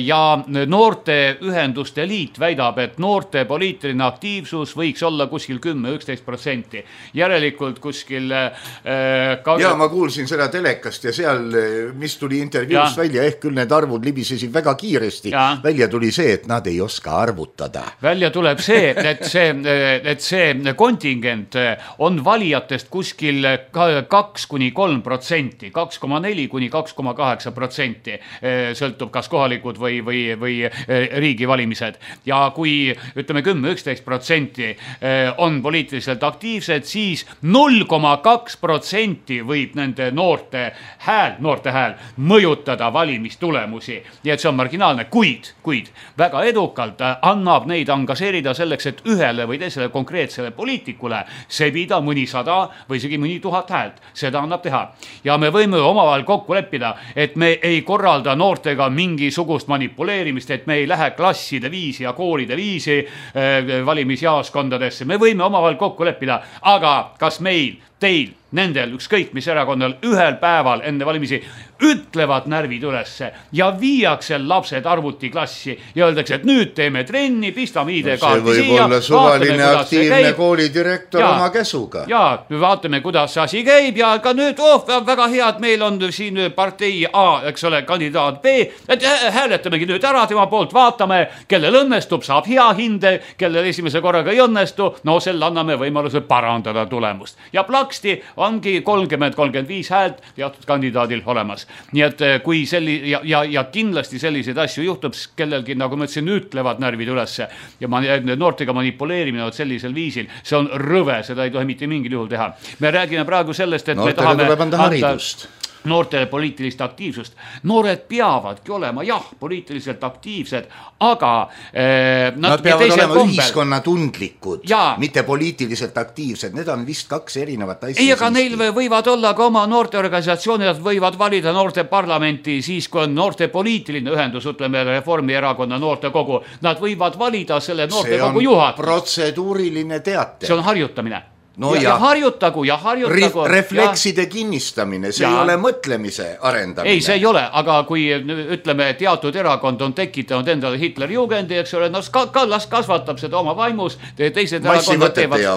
Ja noorte ühenduste liit väidab, et noorte poliitiline aktiivsus võiks olla kuskil kümme üksteist protsenti. Järelikult kuskil... Äh, ka... Ja ma kuulsin seda telekast ja seal, mis tuli intervjuus ja. Välja, ehk küll need arvud libisesid väga kiiresti. Ja. Välja tuli see, et nad ei oska arvutada. Välja tuleb see, et see, et see kontingent on valijatest kuskil kaks kuni kolm protsenti, kaks koma neli kuni kaks koma kaheksa protsenti sõltub kas kohalikud või, või, või riigi valimised. Ja kui ütleme kümme üksteist protsenti on poliitiliselt aktiivsed, siis null koma kaks protsenti võib nende noorte hääl, noorte hääl mõjutada valimistulemusi. Nii et see on marginaalne, kuid, kuid väga edukalt annab neid engaseerida selleks, et ühele või teisele konkreetsele poliitikule sebida mõni sada või isegi mõni tuhat häält. Seda annab teha. Ja me võime omavahel kokku leppida, et me ei korralda noortega mingisugust manipuleerimist, et me ei lähe klasside viisi ja koolide viisi valimisjaaskondadesse. Me võime omavahel kokku leppida, aga kas meil, teil, nendel, ükskõik mis erakonnal ühel päeval enne valimisi ütlevad närvid ülesse ja viiakse lapsed arvutiklassi ja öeldakse, et nüüd teeme trenni, pistame I D kaarti no, see võib olla suvaline vaatame, aktiivne koolidirektor ja, oma käsuga. Ja vaatame, kuidas see asi käib ja ka nüüd, oh, väga hea, et meil on siin partei A, eks ole, kandidaat B, et hääletamegi nüüd ära tema poolt, vaatame, kellel õnnestub, saab hea hinde, kellel esimese korraga ei õnnestu, no selle anname võimaluse parandada tulemust. Ja plaksti ongi kolmkümmend kolmkümmend viis häält teatud kandidaadil olemas. Nii et kui selli, ja, ja, ja kindlasti selliseid asju juhtub, kellelgi, nagu ma ütlesin, ütlevad närvid ülesse ja ma, noortega manipuleerimine sellisel viisil, see on rõve, seda ei tohi mitte mingil juhul teha. Me räägime praegu sellest, et noortele me tahame tuleb anda haridust. Noortele poliitilist aktiivsust. Noored peavadki olema, jah, poliitiliselt aktiivsed, aga eh, nad, nad peavad olema kombel... ühiskonnatundlikud, ja. Mitte poliitiliselt aktiivsed. Need on vist kaks erinevat asja. Ei, aga neil võivad olla ka oma noorteorganisatsioonid, nad võivad valida noorte parlamenti siis, kui on noorte poliitiline ühendus, ütleme Reformierakonna noortekogu. Nad võivad valida selle noortekogu juhat. See on protseduuriline teate. See on harjutamine. No ja, ja, ja harjutagu ja harjutagu. Reflekside ja. Kinnistamine, see ja. Ei ole mõtlemise arendamine. Ei, see ei ole, aga kui ütleme, teatud erakond on tekitanud endale Hitler-Jugendi, eks ole, no las kasvatab seda oma vaimus, teised erakonnad teevad,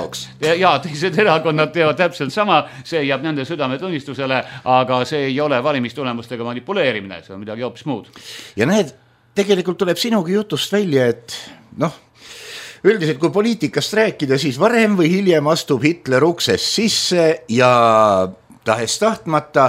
ja, teised erakonnad teevad täpselt sama, see jääb nende südametunnistusele, aga see ei ole valimistulemustega manipuleerimine, see on midagi hoopis muud. Ja näed, tegelikult tuleb sinugi jutust välja, et noh, üldiselt, kui poliitikast rääkida, siis varem või hiljem astub Hitler uksest sisse ja tahes tahtmata,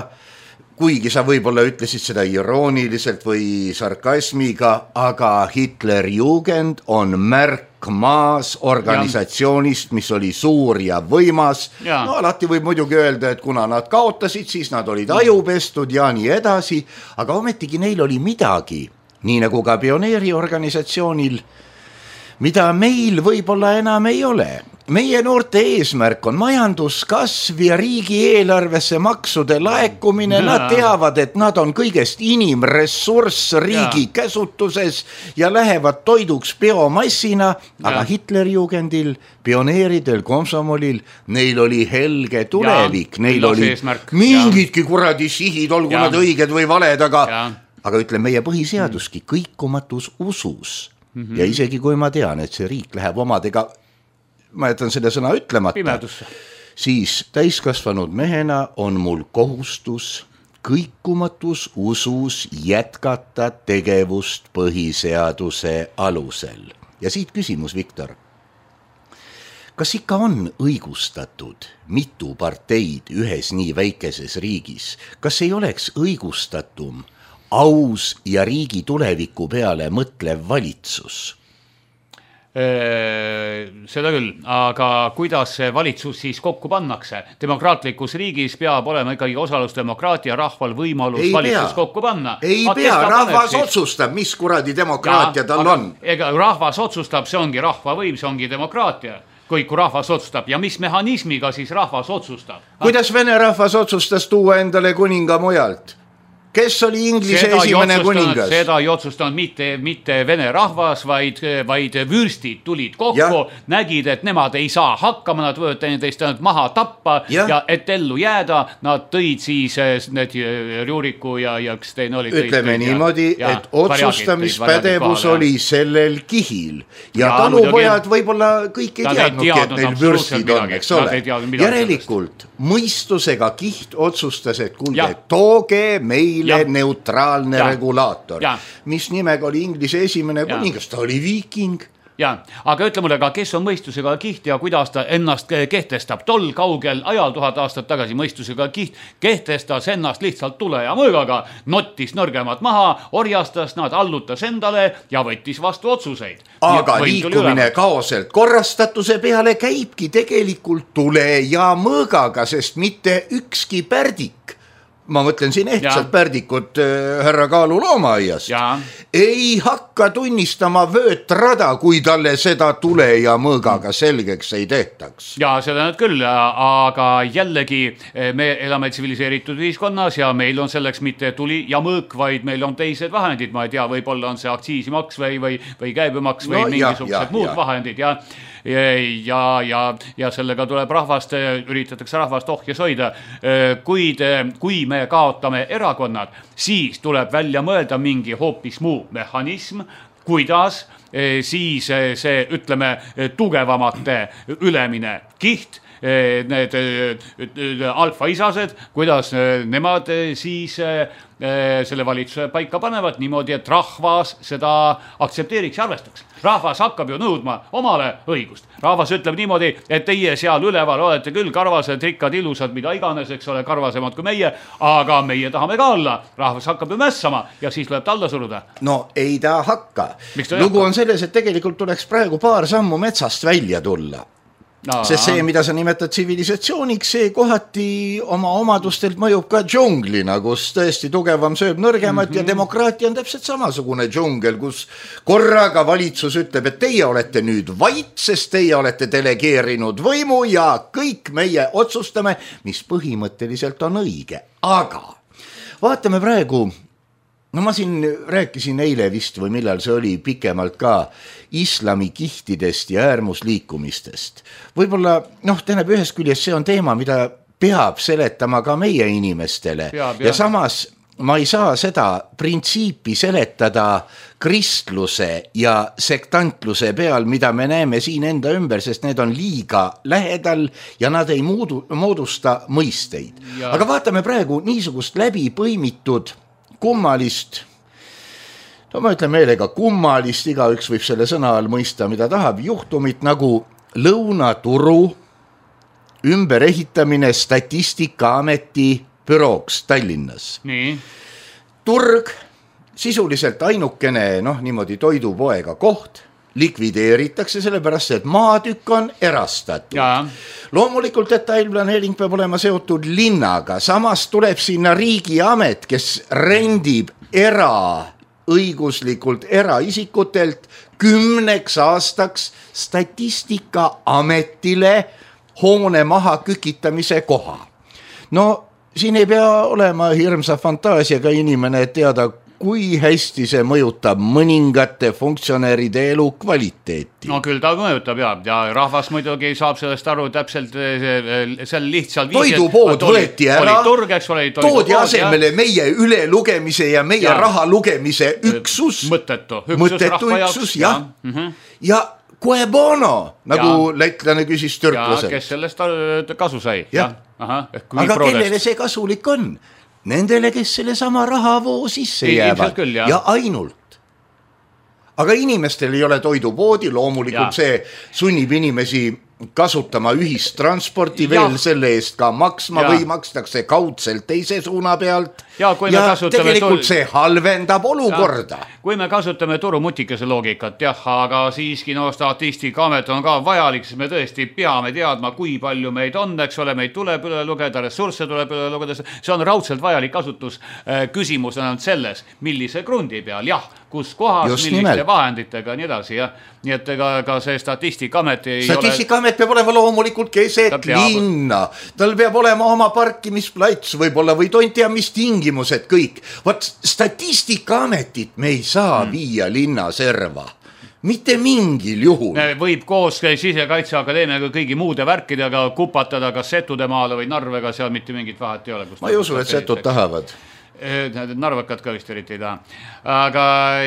kuigi sa võib-olla ütlesid seda irooniliselt või sarkasmiga, aga Hitler-Jugend on märk maas organisatsioonist, mis oli suur ja võimas. Ja. No alati võib muidugi öelda, et kuna nad kaotasid, siis nad olid ajupestud ja nii edasi, aga ometigi neil oli midagi, nii nagu ka pioneeriorganisatsioonil. mida meil võib-olla enam ei ole. Meie noorte eesmärk on majanduskasv ja riigieelarvesse maksude laekumine. Nad teavad, et nad on kõigest inimressurss riigi ja. käsutuses ja lähevad toiduks biomassina, aga Hitlerjugendil, pioneeridel, komsomolil, neil oli helge tulevik, ja. neil oli eesmärk. mingidki kuradi sihid, olgu ja. nad õiged või valed, aga, aga ütleme, meie põhiseaduski kõikumatus usus mm-hmm. ja isegi kui ma tean, et see riik läheb omadega ma jätan selle sõna ütlemata, Pimedusse. Siis täiskasvanud mehena on mul kohustus kõikumatus usus jätkata tegevust põhiseaduse alusel. Ja siit küsimus, Viktor. Kas ikka on õigustatud mitu parteid ühes nii väikeses riigis? Kas ei oleks õigustatum aus ja riigi tuleviku peale mõtlev valitsus? Seda küll, aga kuidas see valitsus siis kokku pannakse? Demokraatlikus riigis peab olema ikkagi osalusdemokraatia, rahval võimalus ei valitsus pea. kokku panna. Ei aga pea, rahvas siis otsustab, mis kuradi demokraatia ja, tal on. Ega rahvas otsustab, see ongi rahva võim, see ongi demokraatia. Kui, kui rahvas otsustab ja mis mehhanismiga siis rahvas otsustab? Kuidas vene rahvas otsustas tuua endale kuninga mujalt? Kes oli Inglise seda esimene kuningas? Seda ei otsustanud mitte, mitte vene rahvas, vaid, vaid vürstid tulid kokku, ja. nägid, et nemad ei saa hakkama, nad võivad teineteist maha tappa ja. ja et ellu jääda, nad tõid siis need Rjuriku ja, ja kes teine oli. Ütleme tõid, niimoodi, ja, et otsustamispädevus oli sellel kihil ja, ja talupojad võib-olla kõik ei teadnudki, et neil vürstid on, eks ole. Järelikult mõistusega kiht otsustas, et kuulge, tooge meil Ja. neutraalne ja. regulaator, ja. mis nimega oli Inglise esimene kuningas, ta oli viiking. Ja, aga ütle mulle ka, kes on mõistusega kiht ja kuidas ta ennast kehtestab. Tol kaugel ajal tuhat aastat tagasi mõistusega kiht kehtestas ennast lihtsalt tule ja mõõgaga, nottis nõrgemad maha, orjastas nad, allutas endale ja võttis vastu otsuseid. Aga liikumine kaoselt korrastatuse peale käibki tegelikult tule ja mõõgaga, sest mitte ükski pärdik, ma mõtlen siin ehtsad ja. pärdikut äh, härra Kaalu loomaaiast, ja. ei hakka tunnistama vöötrada, kui talle seda tule ja mõõgaga selgeks ei tehtaks. Ja seda nüüd küll, aga jällegi me elame tsiviliseeritud ühiskonnas ja meil on selleks mitte tuli ja mõõk, vaid meil on teised vahendid, ma ei tea, võib-olla on see aktsiisimaks või, või, või käibemaks või no, mingisugused ja, ja, muud ja. vahendid ja ja, ja, ja sellega tuleb rahvast, üritatakse rahvast ohjes hoida. Kuid kui me kaotame erakonnad, siis tuleb välja mõelda mingi hoopis muu mehhanism, kuidas siis see, ütleme, tugevamate ülemine kiht, need alfaisased, kuidas nemad siis selle valitsuse paika panevad niimoodi, et rahvas seda aktsepteeriks ja arvestaks. Rahvas hakkab ju nõudma omale õigust. Rahvas ütleb niimoodi, et teie seal üleval olete küll karvased, rikkad, ilusad, mida iganes, eks ole, karvasemad kui meie, aga meie tahame ka olla. Rahvas hakkab ju mässama ja siis lööb ta alla suruda. No ei ta hakka. Lugu on selles, et tegelikult tuleks praegu paar sammu metsast välja tulla. No, sest see, mida sa nimetad tsivilisatsiooniks, see kohati oma omadustelt mõjub ka džunglina, kus tõesti tugevam sööb nõrgemat mm-hmm. ja demokraatia on täpselt samasugune džungel, kus korraga valitsus ütleb, et teie olete nüüd vait, sest teie olete delegeerinud võimu ja kõik meie otsustame, mis põhimõtteliselt on õige. Aga vaatame praegu, no ma siin rääkisin eile vist või millal see oli pikemalt ka islami kihtidest ja äärmusliikumistest. Võib-olla, noh, tähendab ühest küljest see on teema, mida peab seletama ka meie inimestele peab, ja samas ma ei saa seda printsiipi seletada kristluse ja sektantluse peal, mida me näeme siin enda ümber, sest need on liiga lähedal ja nad ei moodu, moodusta mõisteid. Ja. Aga vaatame praegu niisugust läbi põimitud kummalist, no ma ütlen meelega kummalist, igaüks võib selle sõna all mõista, mida tahab, juhtumit nagu Lõunaturu ümberehitamine Statistikaameti bürooks Tallinnas. Nii. Turg, sisuliselt ainukene, noh, niimoodi toidupoega koht, likvideeritakse sellepärast, et maatükk on erastatud. Ja. Loomulikult detailplaneering peab olema seotud linnaga, samas tuleb sinna riigiamet, kes rendib era õiguslikult eraisikutelt kümneks aastaks Statistikaametile hoone maha kükitamise koha. No siin ei pea olema hirmsa fantaasiaga inimene, et teada, kui hästi see mõjutab mõningate funktsionäride elu kvaliteeti. No küll ta mõjutab ja, ja rahvas muidugi saab sellest aru täpselt seal lihtsalt toidupood võeti ära, turgeks, toodi asemele ja meie ülelugemise ja meie ja. raha lugemise üksus. Mõttetu. Üksus mõttetu üksus, jah. Ja, mm -hmm. ja kue bono, nagu ja. lätlane küsis türklaselt. Ja, kes sellest kasu sai. Ja. Aha, aga kellele see kasulik on? Nendele, kes selle sama rahavoo sisse ei, jäävad küll, ja. ja ainult. Aga inimestel ei ole toidupoodi, loomulikult ja. see sunnib inimesi kasutama ühistransporti ja. veel selle eest ka maksma ja. või makstakse kaudselt teise suuna pealt ja, ja tegelikult see halvendab olukorda. Ja. Kui me kasutame turumutikese loogikat, jah, aga siiski no Statistikaamet on ka vajalik, siis me tõesti peame teadma, kui palju meid on, eks ole, meid tuleb üle lugeda, ressursse tuleb üle lugeda, see on raudselt vajalik kasutus. Küsimus on selles, millise grundi peal, jah, kus kohas, just milliste nimelt. Vahenditega, nii edasi, jah. Nii et ka, ka see Statistikaamet ei Statistikaamet ole... peab olema loomulikult keset linna, tal peab olema oma parkimisplats võib-olla või tontia mis tingimused kõik. Vaat Statistikaametit me ei saa hmm. viia linna serva. Mitte mingil juhul. Võib koos Sisekaitseakadeemiaga kõigi muude värkidega kupatada kas Setude maale või Narvega, seal mitte mingit vahet ei ole. Ma ei usu, et Setud tahavad. Narvakad ka vist eriti ei taha. Aga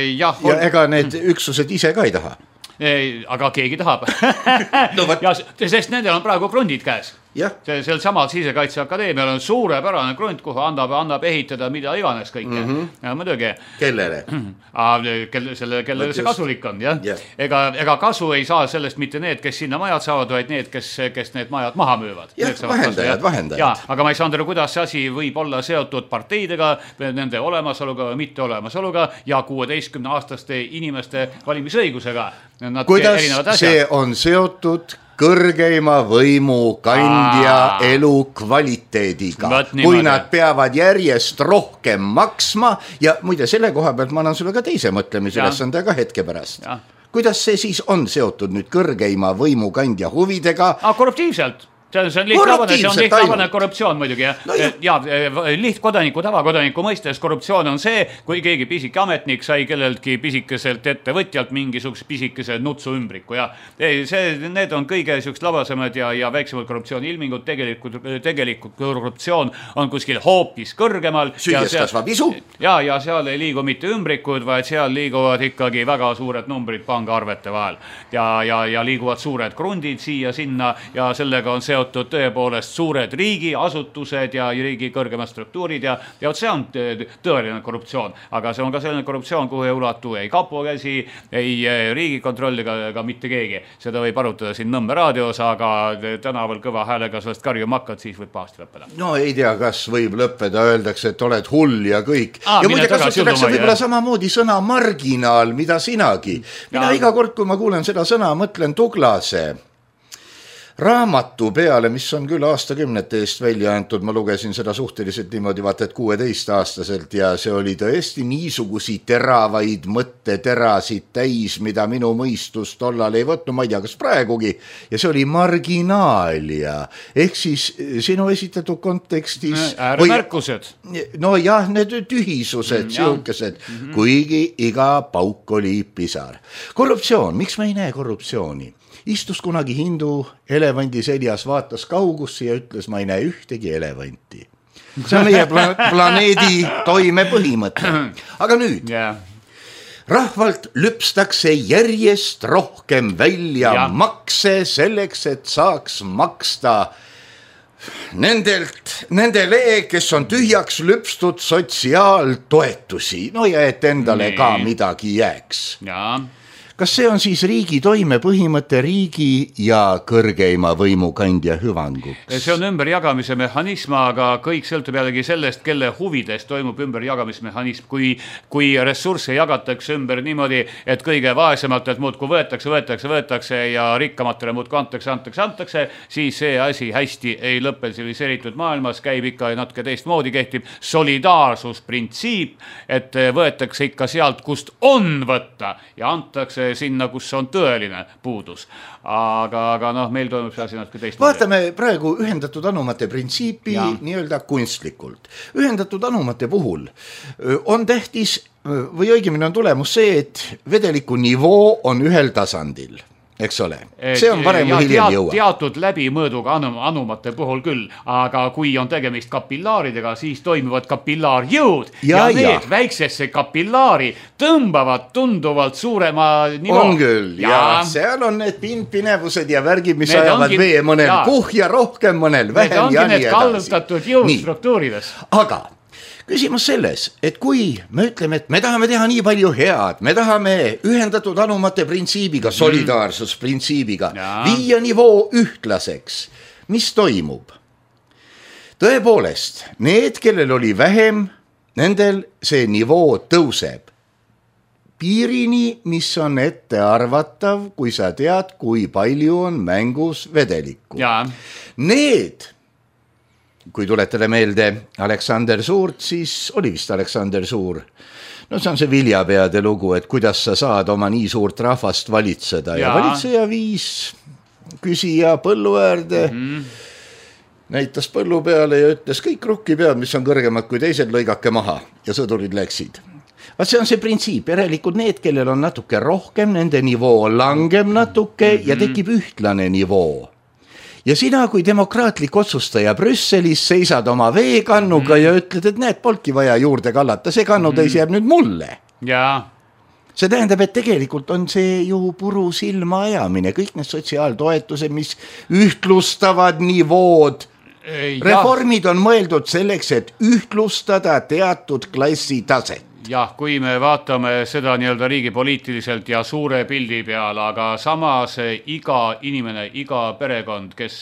jah. Ja ega need üksused ise ka ei taha. Ei, aga keegi tahab. No, ja, sest nendel on praegu krundid käes. Sel samal Sisekaitseakadeemial on suurepärane krund, kuhu annab, annab ehitada mida iganes kõike. Mm -hmm. ja, muidugi. Kellele? Kelle, selle, kellele see kasulik on. Ja? Yeah. Ega, ega kasu ei saa sellest mitte need, kes sinna majad saavad, vaid need, kes, kes need majad maha müüvad. Jah, vahendajad, vahendajad. Ja, aga ma ei saanud aru, kuidas see asi võib olla seotud parteidega, nende olemasoluga või mitte olemasoluga ja kuueteistkümne aastaste inimeste valimisõigusega. Nad kuidas see on seotud kõrgeima võimu kandja Aa. elu kvaliteediga, kui nad peavad järjest rohkem maksma ja muide selle koha pealt ma annan sulle ka teise mõtlemisülesande ka hetke pärast. Ja. Kuidas see siis on seotud nüüd kõrgeima võimu kandja huvidega? A, korruptiivselt. See on, see on lihtlavane, see on lihtlavane korruptsioon muidugi. Ja, no, ja. ja lihtkodaniku, tavakodaniku mõistes korruptsioon on see, kui keegi pisike ametnik sai kelleltki pisikeselt ettevõtjalt mingisuguse pisikese nutsu ümbriku. Ja see, need on kõige sükst labasemad ja, ja väiksemad korruptsiooni ilmingud. Tegelikult, tegelikult korruptsioon on kuskil hoopis kõrgemal. Süües kasvab isu. Ja, ja seal ei liigu mitte ümbrikud, vaid seal liiguvad ikkagi väga suured numbrid pangaarvete vahel. Ja, ja, ja liiguvad suured krundid siia sinna ja sellega on seotud tõepoolest suured riigiasutused ja riigi kõrgemad struktuurid ja, ja see on tõeline korruptsioon, aga see on ka selline korruptsioon, kuhu ei ulatu ei kapo käsi, ei riigikontroll ega, ega mitte keegi. Seda võib arutada siin Nõmme raadios, aga tänaval kõva häälega sellest karjuma hakkad, siis võib pahasti lõppeda. No ei tea, kas võib lõppeda, öeldakse, et oled hull ja kõik. Aa, ja muide kasutatakse võib-olla samamoodi sõna marginaal, mida sinagi. Mina ja. iga kord, kui ma kuulen seda sõna, mõtlen Tuglase raamatu peale, mis on küll aastakümnete eest välja antud, ma lugesin seda suhteliselt niimoodi vaata, et kuueteist aastaselt ja see oli tõesti niisugusi teravaid mõtteterasid täis, mida minu mõistus tollal ei võtnud, ma ei tea, kas praegugi, ja see oli marginaalia, ehk siis sinu esitatud kontekstis ääremärkused. No jah, need tühisused, mm, siukesed, mm -hmm. kuigi iga pauk oli pisar. Korruptsioon, miks me ei näe korruptsiooni? Istus kunagi hindu elevandi seljas, vaatas kaugusse ja ütles, ma ei näe ühtegi elevanti. See on meie pla- planeedi toime põhimõte. Aga nüüd, yeah. rahvalt lüpstakse järjest rohkem välja ja. makse selleks, et saaks maksta nendelt, nendele, kes on tühjaks lüpstud sotsiaaltoetusi. No ja et endale Nii. ka midagi jääks. Jaa. kas see on siis riigi toimepõhimõte riigi ja kõrgeima võimukandja hüvanguks? See on ümberjagamise mehhanism, aga kõik sõltub jällegi sellest, kelle huvides toimub ümberjagamismehhanism. Kui, kui ressursse jagatakse ümber niimoodi, et kõige vaesemalt, et muudku võetakse, võetakse, võetakse ja rikkamatele muudku antakse, antakse, antakse, siis see asi hästi ei lõppe. Tsiviliseeritud maailmas käib ikka natuke teistmoodi, kehtib solidaarsusprintsiip, et võetakse ikka sealt, kust on võtta ja antakse sinna, kus on tõeline puudus. Aga, aga noh, meil toimub see asi natuke teist. Vaatame praegu ühendatud anumate printsiipi ja. Nii-öelda kunstlikult. Ühendatud anumate puhul on tähtis või õigemini on tulemus see, et vedeliku nivoo on ühel tasandil. Eks ole, see on varem või hiljem jõua. Teatud läbimõõduga anum, anumate puhul küll, aga kui on tegemist kapillaaridega, siis toimivad kapillaarjõud ja, ja need ja. Väiksesse kapillaari tõmbavad tunduvalt suurema nivoo. On küll, ja, ja seal on need pindpinevused ja värgid, mis need ajavad ongi, vee mõnel ja. Kuhja rohkem mõnel vähem ja nii edasi. Need ongi need kallutatud jõustruktuurides. Aga küsimus selles, et kui me ütleme, et me tahame teha nii palju head, me tahame ühendatud anumate printsiibiga, solidaarsusprintsiibiga ja. Viia nivoo ühtlaseks, mis toimub? Tõepoolest, need, kellel oli vähem, nendel see nivoo tõuseb piirini, mis on ette arvatav, kui sa tead, kui palju on mängus vedelikku. Ja. Need kui tuletele meelde Aleksander Suurt, siis oli vist Aleksander Suur. No see on see viljapeade lugu, et kuidas sa saad oma nii suurt rahvast valitseda. Ja, ja valitseja viis küsija põllu äärde, mm-hmm. näitas põllu peale ja ütles kõik rukkipead, mis on kõrgemad kui teised, lõigake maha ja sõdurid läksid. Vaat see on see printsiip, järelikult need, kellel on natuke rohkem, nende nivoo langeb natuke mm-hmm. ja tekib ühtlane nivoo. Ja sina, kui demokraatlik otsustaja Brüsselis seisad oma veekannuga mm. ja ütled, et näed, polki vaja juurde kallata, see kannutäis mm. jääb nüüd mulle. Ja. See tähendab, et tegelikult on see ju puru silma ajamine, kõik need sotsiaaltoetused, mis ühtlustavad nivood. Ja. Reformid on mõeldud selleks, et ühtlustada teatud klassi taset. Jah, kui me vaatame seda nii-öelda riigi poliitiliselt ja suure pildi peal, aga samas iga inimene, iga perekond, kes,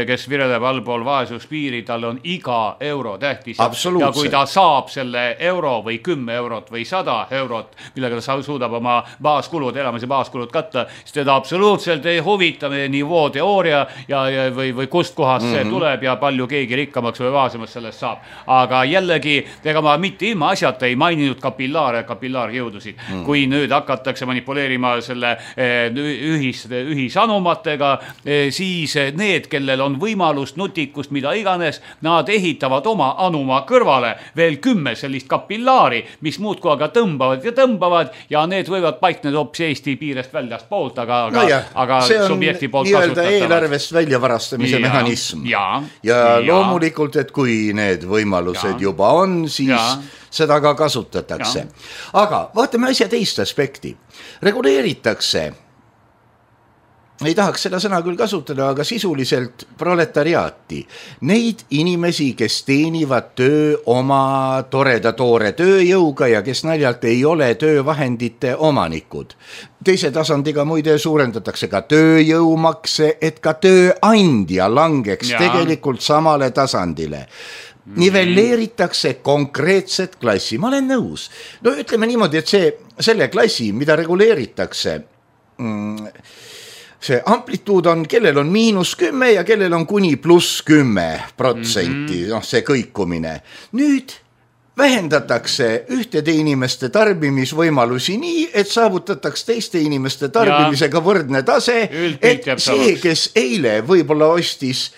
kes vireleb allpool vaesuspiiri, tal on iga euro tähtis. Ja kui ta saab selle euro või kümme eurot või sada eurot, millega ta suudab oma baaskulud, elamise baaskulud katta, siis teda absoluutselt ei huvita meie nivoo teooria ja, ja, või, või kust kohast mm-hmm. see tuleb ja palju keegi rikkamaks või vaasemaks sellest saab. Aga jällegi, ega ma mitte ilma asjata ei maininud kapillaare, kapillaarjõudusid. Mm. Kui nüüd hakatakse manipuleerima selle ühis, ühisanumatega, siis need, kellel on võimalust, nutikust, mida iganes, nad ehitavad oma anuma kõrvale veel kümme sellist kapillaari, mis muudku aga tõmbavad ja tõmbavad ja need võivad paikneda hoopis Eesti piirest väljast poolt, aga, aga, no ja, aga subjekti poolt kasutatavad. See on eelarvest väljavarastamise ja, mehhanism. Ja, ja, ja loomulikult, et kui need võimalused ja. Juba on, siis ja. Seda ka kasutatakse. Ja. Aga vaatame asja teist aspekti. Reguleeritakse, ei tahaks seda sõna küll kasutada, aga sisuliselt proletariaati. Neid inimesi, kes teenivad töö oma toreda toore tööjõuga ja kes naljalt ei ole töövahendite omanikud. Teise tasandiga muide suurendatakse ka tööjõumakse, et ka tööandja langeks ja. Tegelikult samale tasandile. Nivelleeritakse konkreetset klassi. Ma olen nõus. No ütleme niimoodi, et see, selle klassi, mida reguleeritakse, see amplituud on, kellel on miinus kümme ja kellel on kuni pluss kümme protsenti, mm-hmm. noh, see kõikumine. Nüüd vähendatakse ühtede inimeste tarbimisvõimalusi nii, et saavutatakse teiste inimeste tarbimisega ja. Võrdne tase, et see, kes eile võib-olla ostis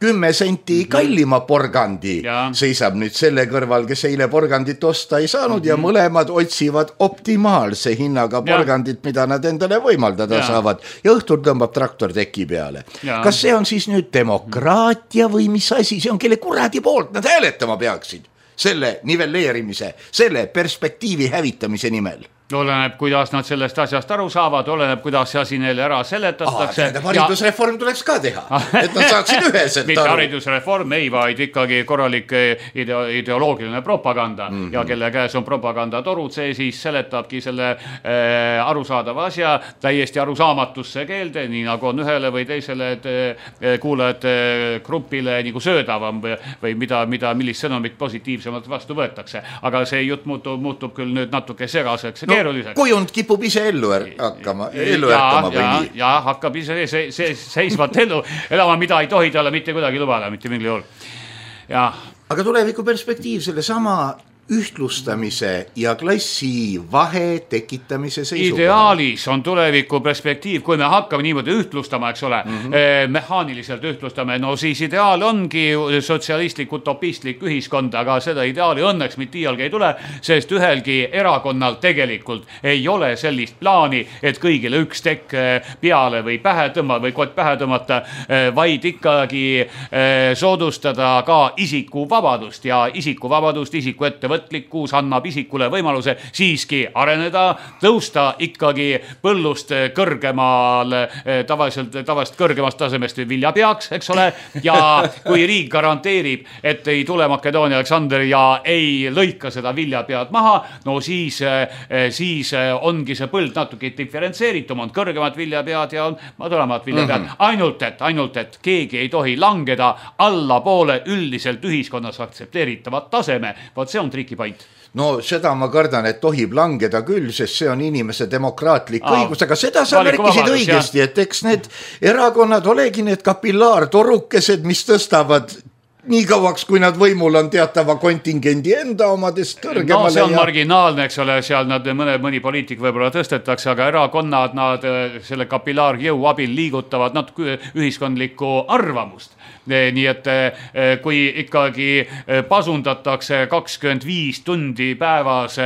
kümme senti kallima porgandi ja. Seisab nüüd selle kõrval, kes eile porgandit osta ei saanud mm-hmm. ja mõlemad otsivad optimaalse hinnaga porgandit, mida nad endale võimaldada ja. Saavad ja õhtul tõmbab traktor teki peale. Ja. Kas see on siis nüüd demokraatia või mis asi, see on kelle kuradi poolt nad hääletama peaksid selle nivelleerimise, selle perspektiivi hävitamise nimel? Oleneb, kuidas nad sellest asjast aru saavad, oleneb, kuidas see asi neile ära seletatakse. Aa, haridusreform ja... tuleks ka teha, et nad saaksid üheselt mitte aru. Haridusreform ei, vaid ikkagi korralik ideo ideoloogiline propaganda mm -hmm. ja kelle käes on propagandatorud, see siis seletabki selle äh, arusaadava asja täiesti arusaamatusse keelde, nii nagu on ühele või teisele et, äh, kuulajate grupile nagu söödavam või, või mida, mida, millist sõnumit positiivsemalt vastu võetakse. Aga see jutt muutub, muutub küll nüüd natuke segaseks ja no, keeruliseks. Kujund kipub ise ellu er hakkama, ellu ärkama või ja, nii. Ja hakkab ise see, see seisvat ellu elama, mida ei tohi talle mitte kuidagi lubada, mitte mingil juhul. Ja. Aga tuleviku perspektiiv selle sama ühtlustamise ja klassi vahe tekitamise seisukohal. Ideaalis on tuleviku perspektiiv, kui me hakkame niimoodi ühtlustama, eks ole, mm -hmm. eh, mehaaniliselt ühtlustame, no siis ideaal ongi sotsialistlik, utopistlik ühiskond, aga seda ideaali õnneks mitte iialgi ei tule, sest ühelgi erakonnal tegelikult ei ole sellist plaani, et kõigile üks tekk peale või pähe tõmmata või kott pähe tõmmata, vaid ikkagi eh, soodustada ka isikuvabadust ja isikuvabadust, isiku ettevõtmist võtlikkuus annab isikule võimaluse siiski areneda, tõusta ikkagi põllust kõrgemal, tavaliselt, tavaliselt kõrgemast tasemest viljapeaks, eks ole, ja kui riik garanteerib, et ei tule Makedoonia Aleksander ja ei lõika seda viljapead maha, no siis, siis ongi see põld natuke diferentseeritum, on kõrgemad viljapead ja on madalamad viljapead, mm -hmm. ainult et, ainult et keegi ei tohi langeda alla poole üldiselt ühiskonnas aktsepteeritavat taseme, vot see on triki point. No seda ma kardan, et tohib langeda küll, sest see on inimese demokraatlik Aa, õigus, aga seda sa märkisid õigesti, ja. Et eks need erakonnad olegi need kapillaartorukesed, mis tõstavad nii kauaks, kui nad võimul on teatava kontingendi enda omadest kõrgemale. No see on ja... marginaalne, eks ole, seal nad mõne, mõni poliitik võib-olla tõstetakse, aga erakonnad nad selle kapillaarjõu abil liigutavad natuke ühiskondlikku arvamust. Nii et kui ikkagi pasundatakse kakskümmend viis tundi päevas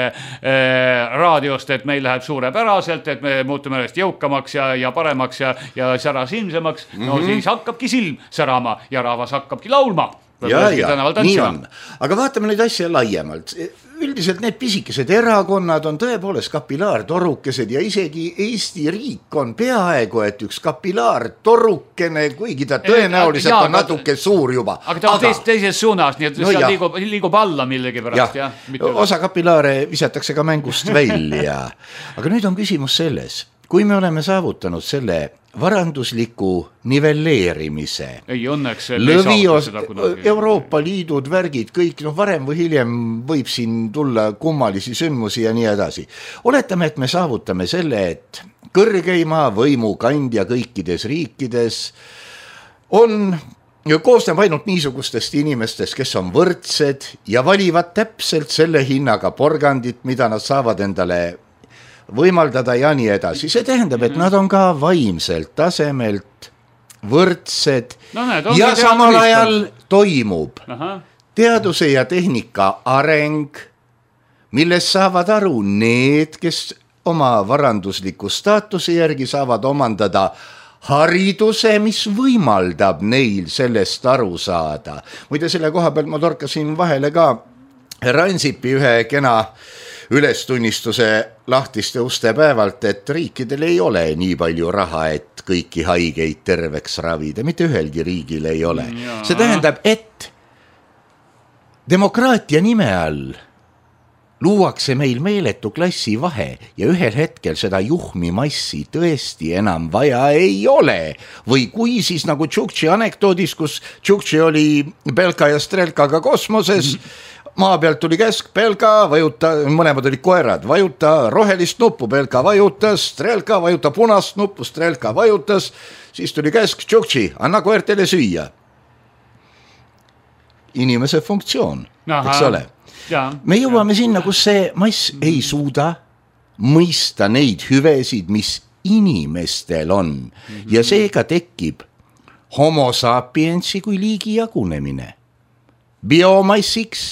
raadiost, et meil läheb suurepäraselt, et me muutume ennast jõukamaks ja, ja paremaks ja, ja särasilmsemaks, no mm-hmm. siis hakkabki silm särama ja rahvas hakkabki laulma. Ja, ja, nii on. Aga vaatame neid asja laiemalt. Üldiselt need pisikesed erakonnad on tõepoolest kapillaartorukesed ja isegi Eesti riik on peaaegu, et üks kapillaartorukene, kuigi ta tõenäoliselt ja, on natuke ta, suur juba. Aga ta on aga, teist, teises suunas, nii et no seal liigub, liigub alla millegi pärast. Ja, ja, osa kapillaare visatakse ka mängust välja. Aga nüüd on küsimus selles, kui me oleme saavutanud selle varandusliku nivelleerimise. Ei õnneks Lõvios, Euroopa Liidud, värgid, kõik, noh varem või hiljem võib siin tulla kummalisi sündmusi ja nii edasi. Oletame, et me saavutame selle, et kõrgeima võimu kandja kõikides riikides on, koosneb ainult niisugustest inimestest, kes on võrdsed ja valivad täpselt selle hinnaga porgandit, mida nad saavad endale võimaldada ja nii edasi. See tähendab, et nad on ka vaimselt tasemelt võrdsed no, näed, ja samal ajal toimub Aha. teaduse ja tehnika areng, millest saavad aru need, kes oma varandusliku staatuse järgi saavad omandada hariduse, mis võimaldab neil sellest aru saada. Muide, selle koha pealt ma torkasin vahele ka Ransipi ühe kena ülestunnistuse lahtiste uste päevalt, et riikidel ei ole nii palju raha, et kõiki haigeid terveks ravida. Mitte ühelgi riigil ei ole. Ja. See tähendab, et demokraatia nime all luuakse meil meeletu klassi vahe ja ühel hetkel seda juhmi massi tõesti enam vaja ei ole. Või kui siis nagu Tšuktši anekdoodis, kus Tšuktši oli Belka ja Strelkaga kosmoses, maa pealt tuli käsk, Belka vajuta, mõlemad olid koerad, vajuta rohelist nuppu, Belka vajutas, Strelka vajuta punast nuppu, Strelka vajutas, siis tuli käsk, Tšuktši, anna koertele süüa. Inimese funktsioon, Aha. eks ole. Ja, me jõuame ja. sinna, kus see mass ei suuda mõista neid hüvesid, mis inimestel on. Mm-hmm. Ja seega tekib homo sapiensi kui liigi jagunemine. Biomassiks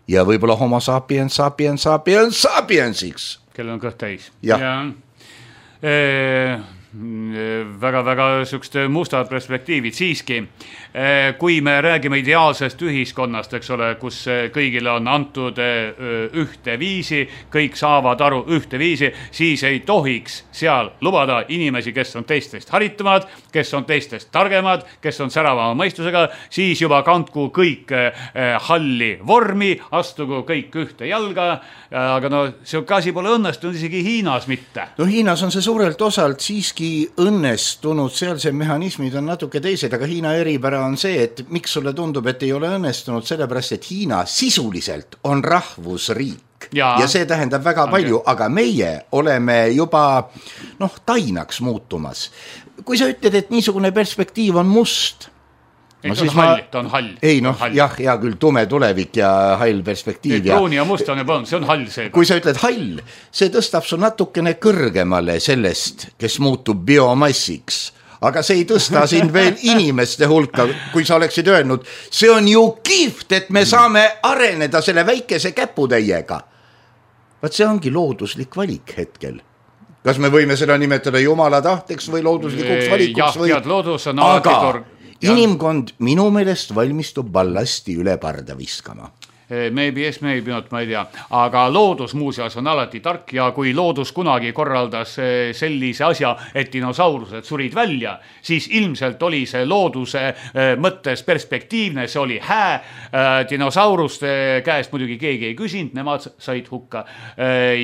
ja võib-olla homo sapiens, sapiens, sapiens, sapiensiks. Kellel on kõht täis. Ja. Ja. E väga-väga sükst mustad perspektiivid siiski. Kui me räägime ideaalsest ühiskonnast, eks ole, kus kõigile on antud ühte viisi, kõik saavad aru ühte viisi, siis ei tohiks seal lubada inimesi, kes on teistest haritumad, kes on teistest targemad, kes on säravama mõistusega, siis juba kandku kõik halli vormi, astugu kõik ühte jalga, aga no see asi pole õnnestunud isegi Hiinas mitte. No Hiinas on see suurelt osalt siiski õnnestunud, seal see mehhanismid on natuke teised, aga Hiina eripära on see, et miks sulle tundub, et ei ole õnnestunud, sellepärast, et Hiina sisuliselt on rahvusriik ja, ja see tähendab väga okay. palju, aga meie oleme juba noh, tainaks muutumas. Kui sa ütled, et niisugune perspektiiv on must, ei, no, ta, on ma... hall, ta on hall. Ei noh, jah, hea küll, tume tulevik ja hall perspektiiv. Ja... Pruuni ja must on juba, see on hall see. Kui sa ütled hall, see tõstab su natukene kõrgemale sellest, kes muutub biomassiks. Aga see ei tõsta sind veel inimeste hulka, kui sa oleksid öelnud, see on ju kihvt, et me saame areneda selle väikese käputäiega. Vaat see ongi looduslik valik hetkel. Kas me võime seda nimetada jumala tahteks või looduslikuks valikuks? Jah, või... tead, loodus on alati torg. Inimkond minu meelest valmistub ballasti üle parda viskama. Maybe yes, maybe not, ma ei tea. Aga loodus muuseas on alati tark ja kui loodus kunagi korraldas sellise asja, et dinosaurused surid välja, siis ilmselt oli see looduse mõttes perspektiivne, see oli hää. Dinosauruste käest muidugi keegi ei küsinud, nemad said hukka.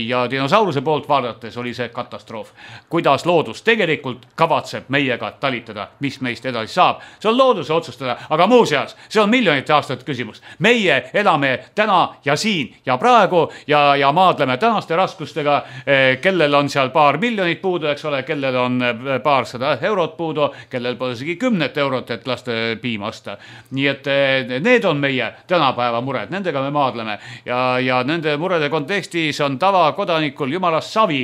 Ja dinosauruse poolt vaadates oli see katastroof. Kuidas loodus tegelikult kavatseb meiega talitada, mis meist edasi saab, see on looduse otsustada, aga muuseas, see on miljonite aastat küsimus. Meie elame täna ja siin ja praegu ja, ja maadleme tänaste raskustega, kellel on seal paar miljonit puudu, eks ole, kellel on paar sada eurot puudu, kellel pole isegi kümnet eurot, et laste piima osta. Nii et need on meie tänapäeva mured, nendega me maadleme ja, ja nende murede kontekstis on tavakodanikul jumalast savi,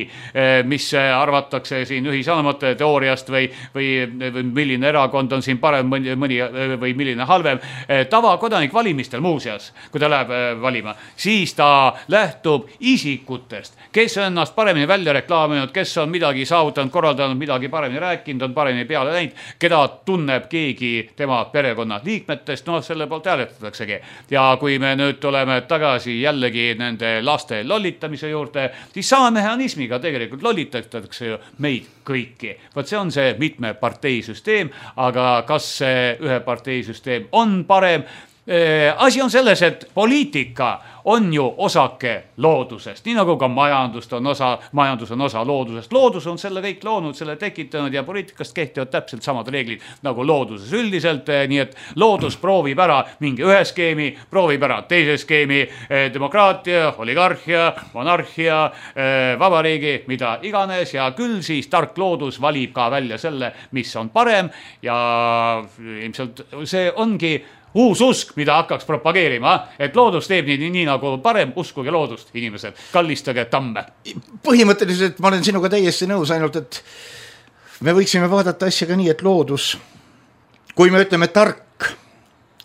mis arvatakse siin ühisanemate teooriast või, või, või milline erakond on siin parem mõni, mõni või milline halvem. Tavakodanik valimistel muuseas, kui ta läheb valima, siis ta lähtub isikutest, kes on ennast paremini välja reklaaminud, kes on midagi saavutanud, korraldanud, midagi paremini rääkinud, on paremini peale läinud, keda tunneb keegi tema perekonna liikmetest, noh, selle poolt hääletataksegi. Ja kui me nüüd tuleme tagasi jällegi nende laste lollitamise juurde, siis sama mehhanismiga tegelikult lollitatakse ju meid kõiki. Vaat see on see mitme parteisüsteem, aga kas see ühe parteisüsteem on parem? Asi on selles, et poliitika on ju osake loodusest, nii nagu ka majandust on osa, majandus on osa loodusest. Loodus on selle kõik loonud, selle tekitanud ja poliitikast kehtivad täpselt samad reeglid nagu looduses üldiselt, nii et loodus proovib ära mingi ühe skeemi, proovib ära teise skeemi, demokraatia, oligarhia, monarhia, vabariigi, mida iganes ja küll siis tark loodus valib ka välja selle, mis on parem ja ilmselt see ongi uus usk, mida hakkaks propageerima, et loodus teeb nii, nii nagu parem, uskuge loodust, inimesed, kallistage tamme. Põhimõtteliselt ma olen sinuga täiesti nõus, ainult et me võiksime vaadata asjaga nii, et loodus, kui me ütleme tark,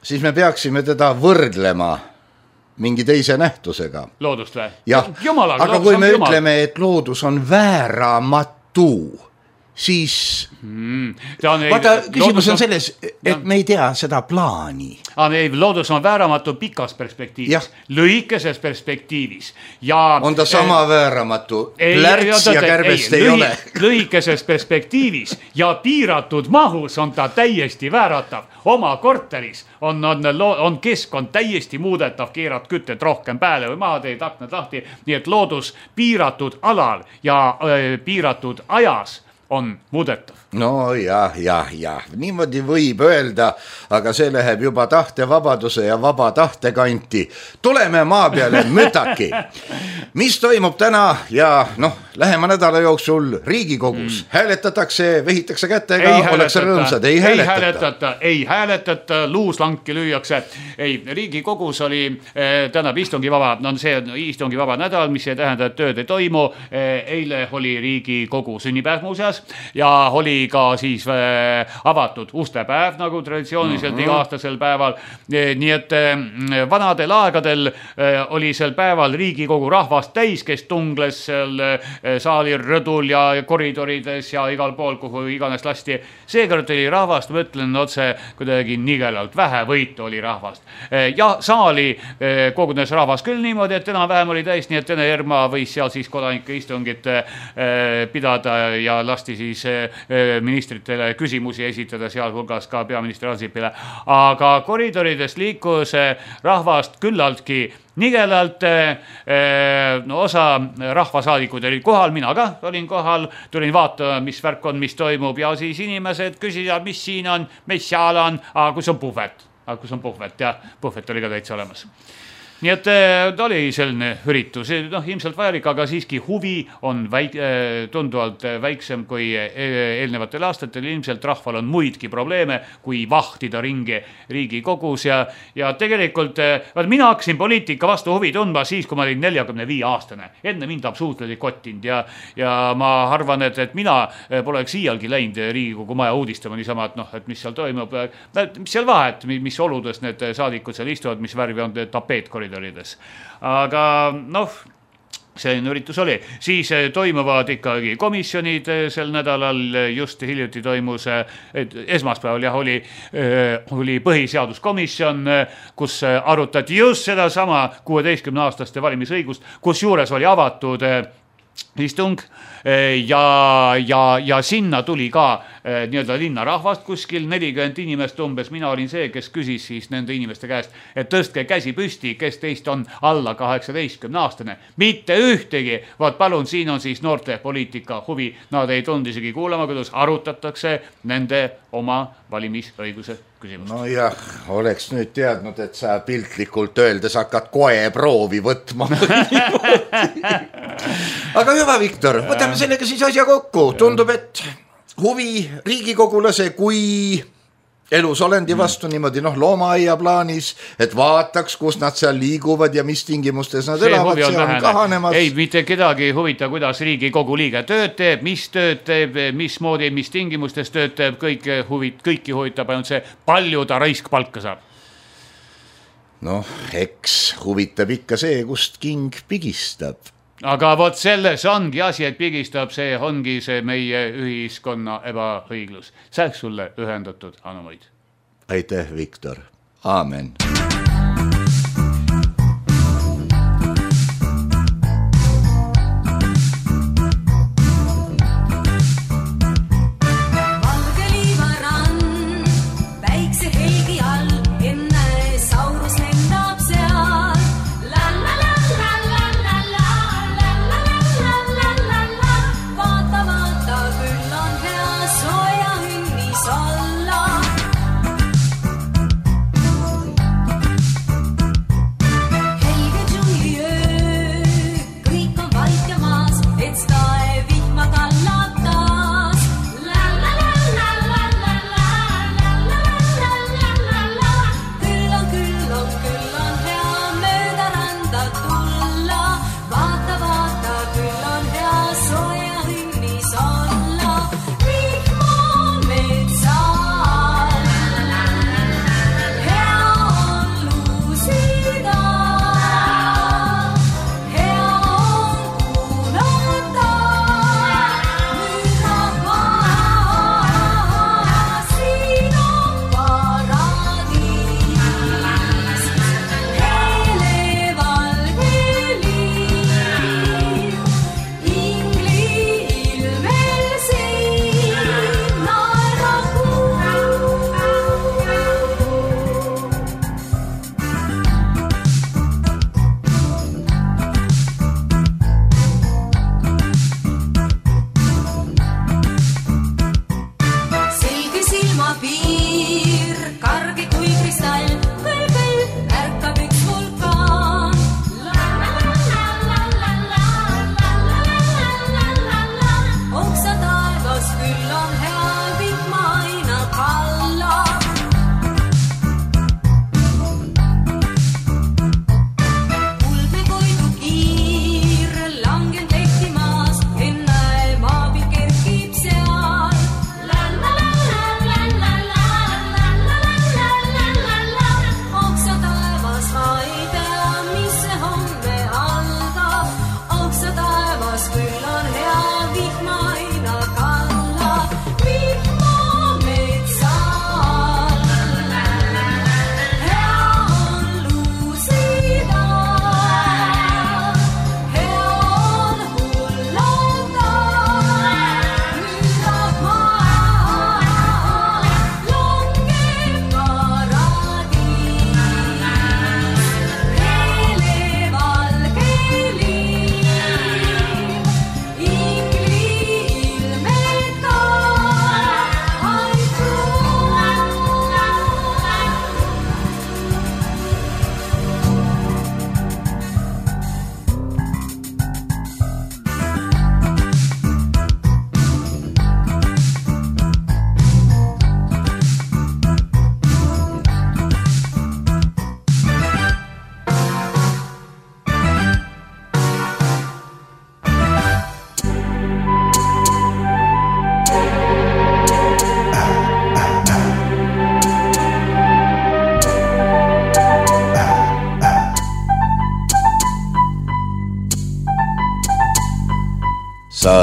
siis me peaksime teda võrdlema mingi teise nähtusega. Loodust või? Jah, Jumalaga, aga kui me jumal. ütleme, et loodus on vääramatu, siis mm, on, vaata, küsimus on selles, et ja. me ei tea seda plaani. Aga ei, loodus on vääramatu pikas perspektiivis, lühikeses perspektiivis. Ja, on ta sama äh, vääramatu, plärts ja kärbest ei, ei lühi, ole. Lühikeses perspektiivis ja piiratud mahus on ta täiesti vääratav. Oma korteris on, on, on keskkond täiesti muudetav, keerad kütted rohkem pääle või maha, teed aknad lahti. Nii et loodus piiratud alal ja äh, piiratud ajas on muudetav. No jah, jah, jah, niimoodi võib öelda, aga see läheb juba tahtevabaduse ja vaba tahte kanti. Tuleme maa peale mütaki. Mis toimub täna ja noh, lähema nädala jooksul Riigikogus mm. hääletatakse, vehitakse kätega, oleks rõõmsad, ei hääletata. Ei hääletata, ei hääletata, luuslanki lüüakse. Ei, Riigikogus oli eh, tänab istungi vaba, no see on istungi vaba nädal, mis ei tähenda, et tööd ei toimu. Eh, eile oli Riigikogu sünnipäev muuseas ja oli ka siis äh, avatud ustepäev, nagu traditsiooniliselt mm-hmm. iga-aastasel päeval. Nii et äh, vanadel aegadel äh, oli sel päeval Riigikogu rahvast täis, kes tungles seal äh, saali rõdul ja koridorides ja igal pool, kuhu iganes lasti. Seekord oli rahvast, ma ütlen otse kuidagi nigelalt, vähe võitu oli rahvast. Ja saali kogunes rahvas küll niimoodi, et enam vähem oli täis, nii et Ene Erma võis seal siis kodanike istungit pidada ja lasti siis ministritele küsimusi esitada, sealhulgas ka peaminister Ansipile. Aga koridorides liikus rahvast küllaltki nigelalt, no osa rahvasaadikud olid kohal, mina ka olin kohal, tulin vaatama, mis värk on, mis toimub ja siis inimesed küsisid, mis siin on, mis seal on, aga kus on puhvet, aga kus on puhvet ja puhvet oli ka täitsa olemas. Nii et ta oli selline üritus, noh, ilmselt vajalik, aga siiski huvi on väik, tunduvalt väiksem kui eelnevatel aastatel. Ilmselt rahval on muidki probleeme, kui vahtida ringi Riigikogus ja, ja tegelikult mina hakkasin poliitika vastu huvi tundma siis, kui ma olin neljakümne viie aastane. Enne mind absoluutselt ei kottinud ja, ja ma arvan, et, et mina poleks iialgi läinud Riigikogu maja uudistama niisama, et noh, et mis seal toimub, mis seal vahet, mis oludes need saadikud seal istuvad, mis värvi on tapeet koridorides. Aga noh, selline üritus oli. Siis toimuvad ikkagi komisjonid sel nädalal, just hiljuti toimus, esmaspäeval jah, oli, oli põhiseaduskomisjon, kus arutati just seda sama kuueteistkümne aastaste valimisõigust, kus juures oli avatud istung ja, ja, ja sinna tuli ka nii-öelda linnarahvast kuskil nelikümmend inimest umbes. Mina olin see, kes küsis siis nende inimeste käest, et tõstke käsi püsti, kes teist on alla kaheksateistkümne aastane. Mitte ühtegi, vaat palun, siin on siis noorte poliitika huvi. Nad ei tulnud isegi kuulama, kuidas arutatakse nende oma valimisõiguse küsimust. No jah, oleks nüüd teadnud, et sa piltlikult öeldes hakkad koe proovi võtma. Aga hüva, Viktor, võtame sellega siis asja kokku. Tundub, et huvi riigikogulase kui elus olendi vastu niimoodi noh, loomaaia plaanis, et vaataks, kus nad seal liiguvad ja mis tingimustes nad see elavad, see on, on kahanemas. Ei, mitte kedagi huvita, kuidas Riigikogu liige tööd teeb, mis tööd teeb, mis moodi, mis tingimustes tööd teeb, kõik huvit, kõiki huvitab ainult see, palju ta raisk palka saab. Noh, eks huvitab ikka see, kust king pigistab. Aga vot selles ongi asi, et pigistab, see ongi see meie ühiskonna ebaõiglus. Sähk sulle ühendatud anomaid. Aitäh, Viktor. Aamen.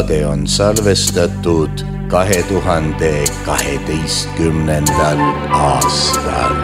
saade on salvestatud kahe tuhande kaheteistkümnendal aastal.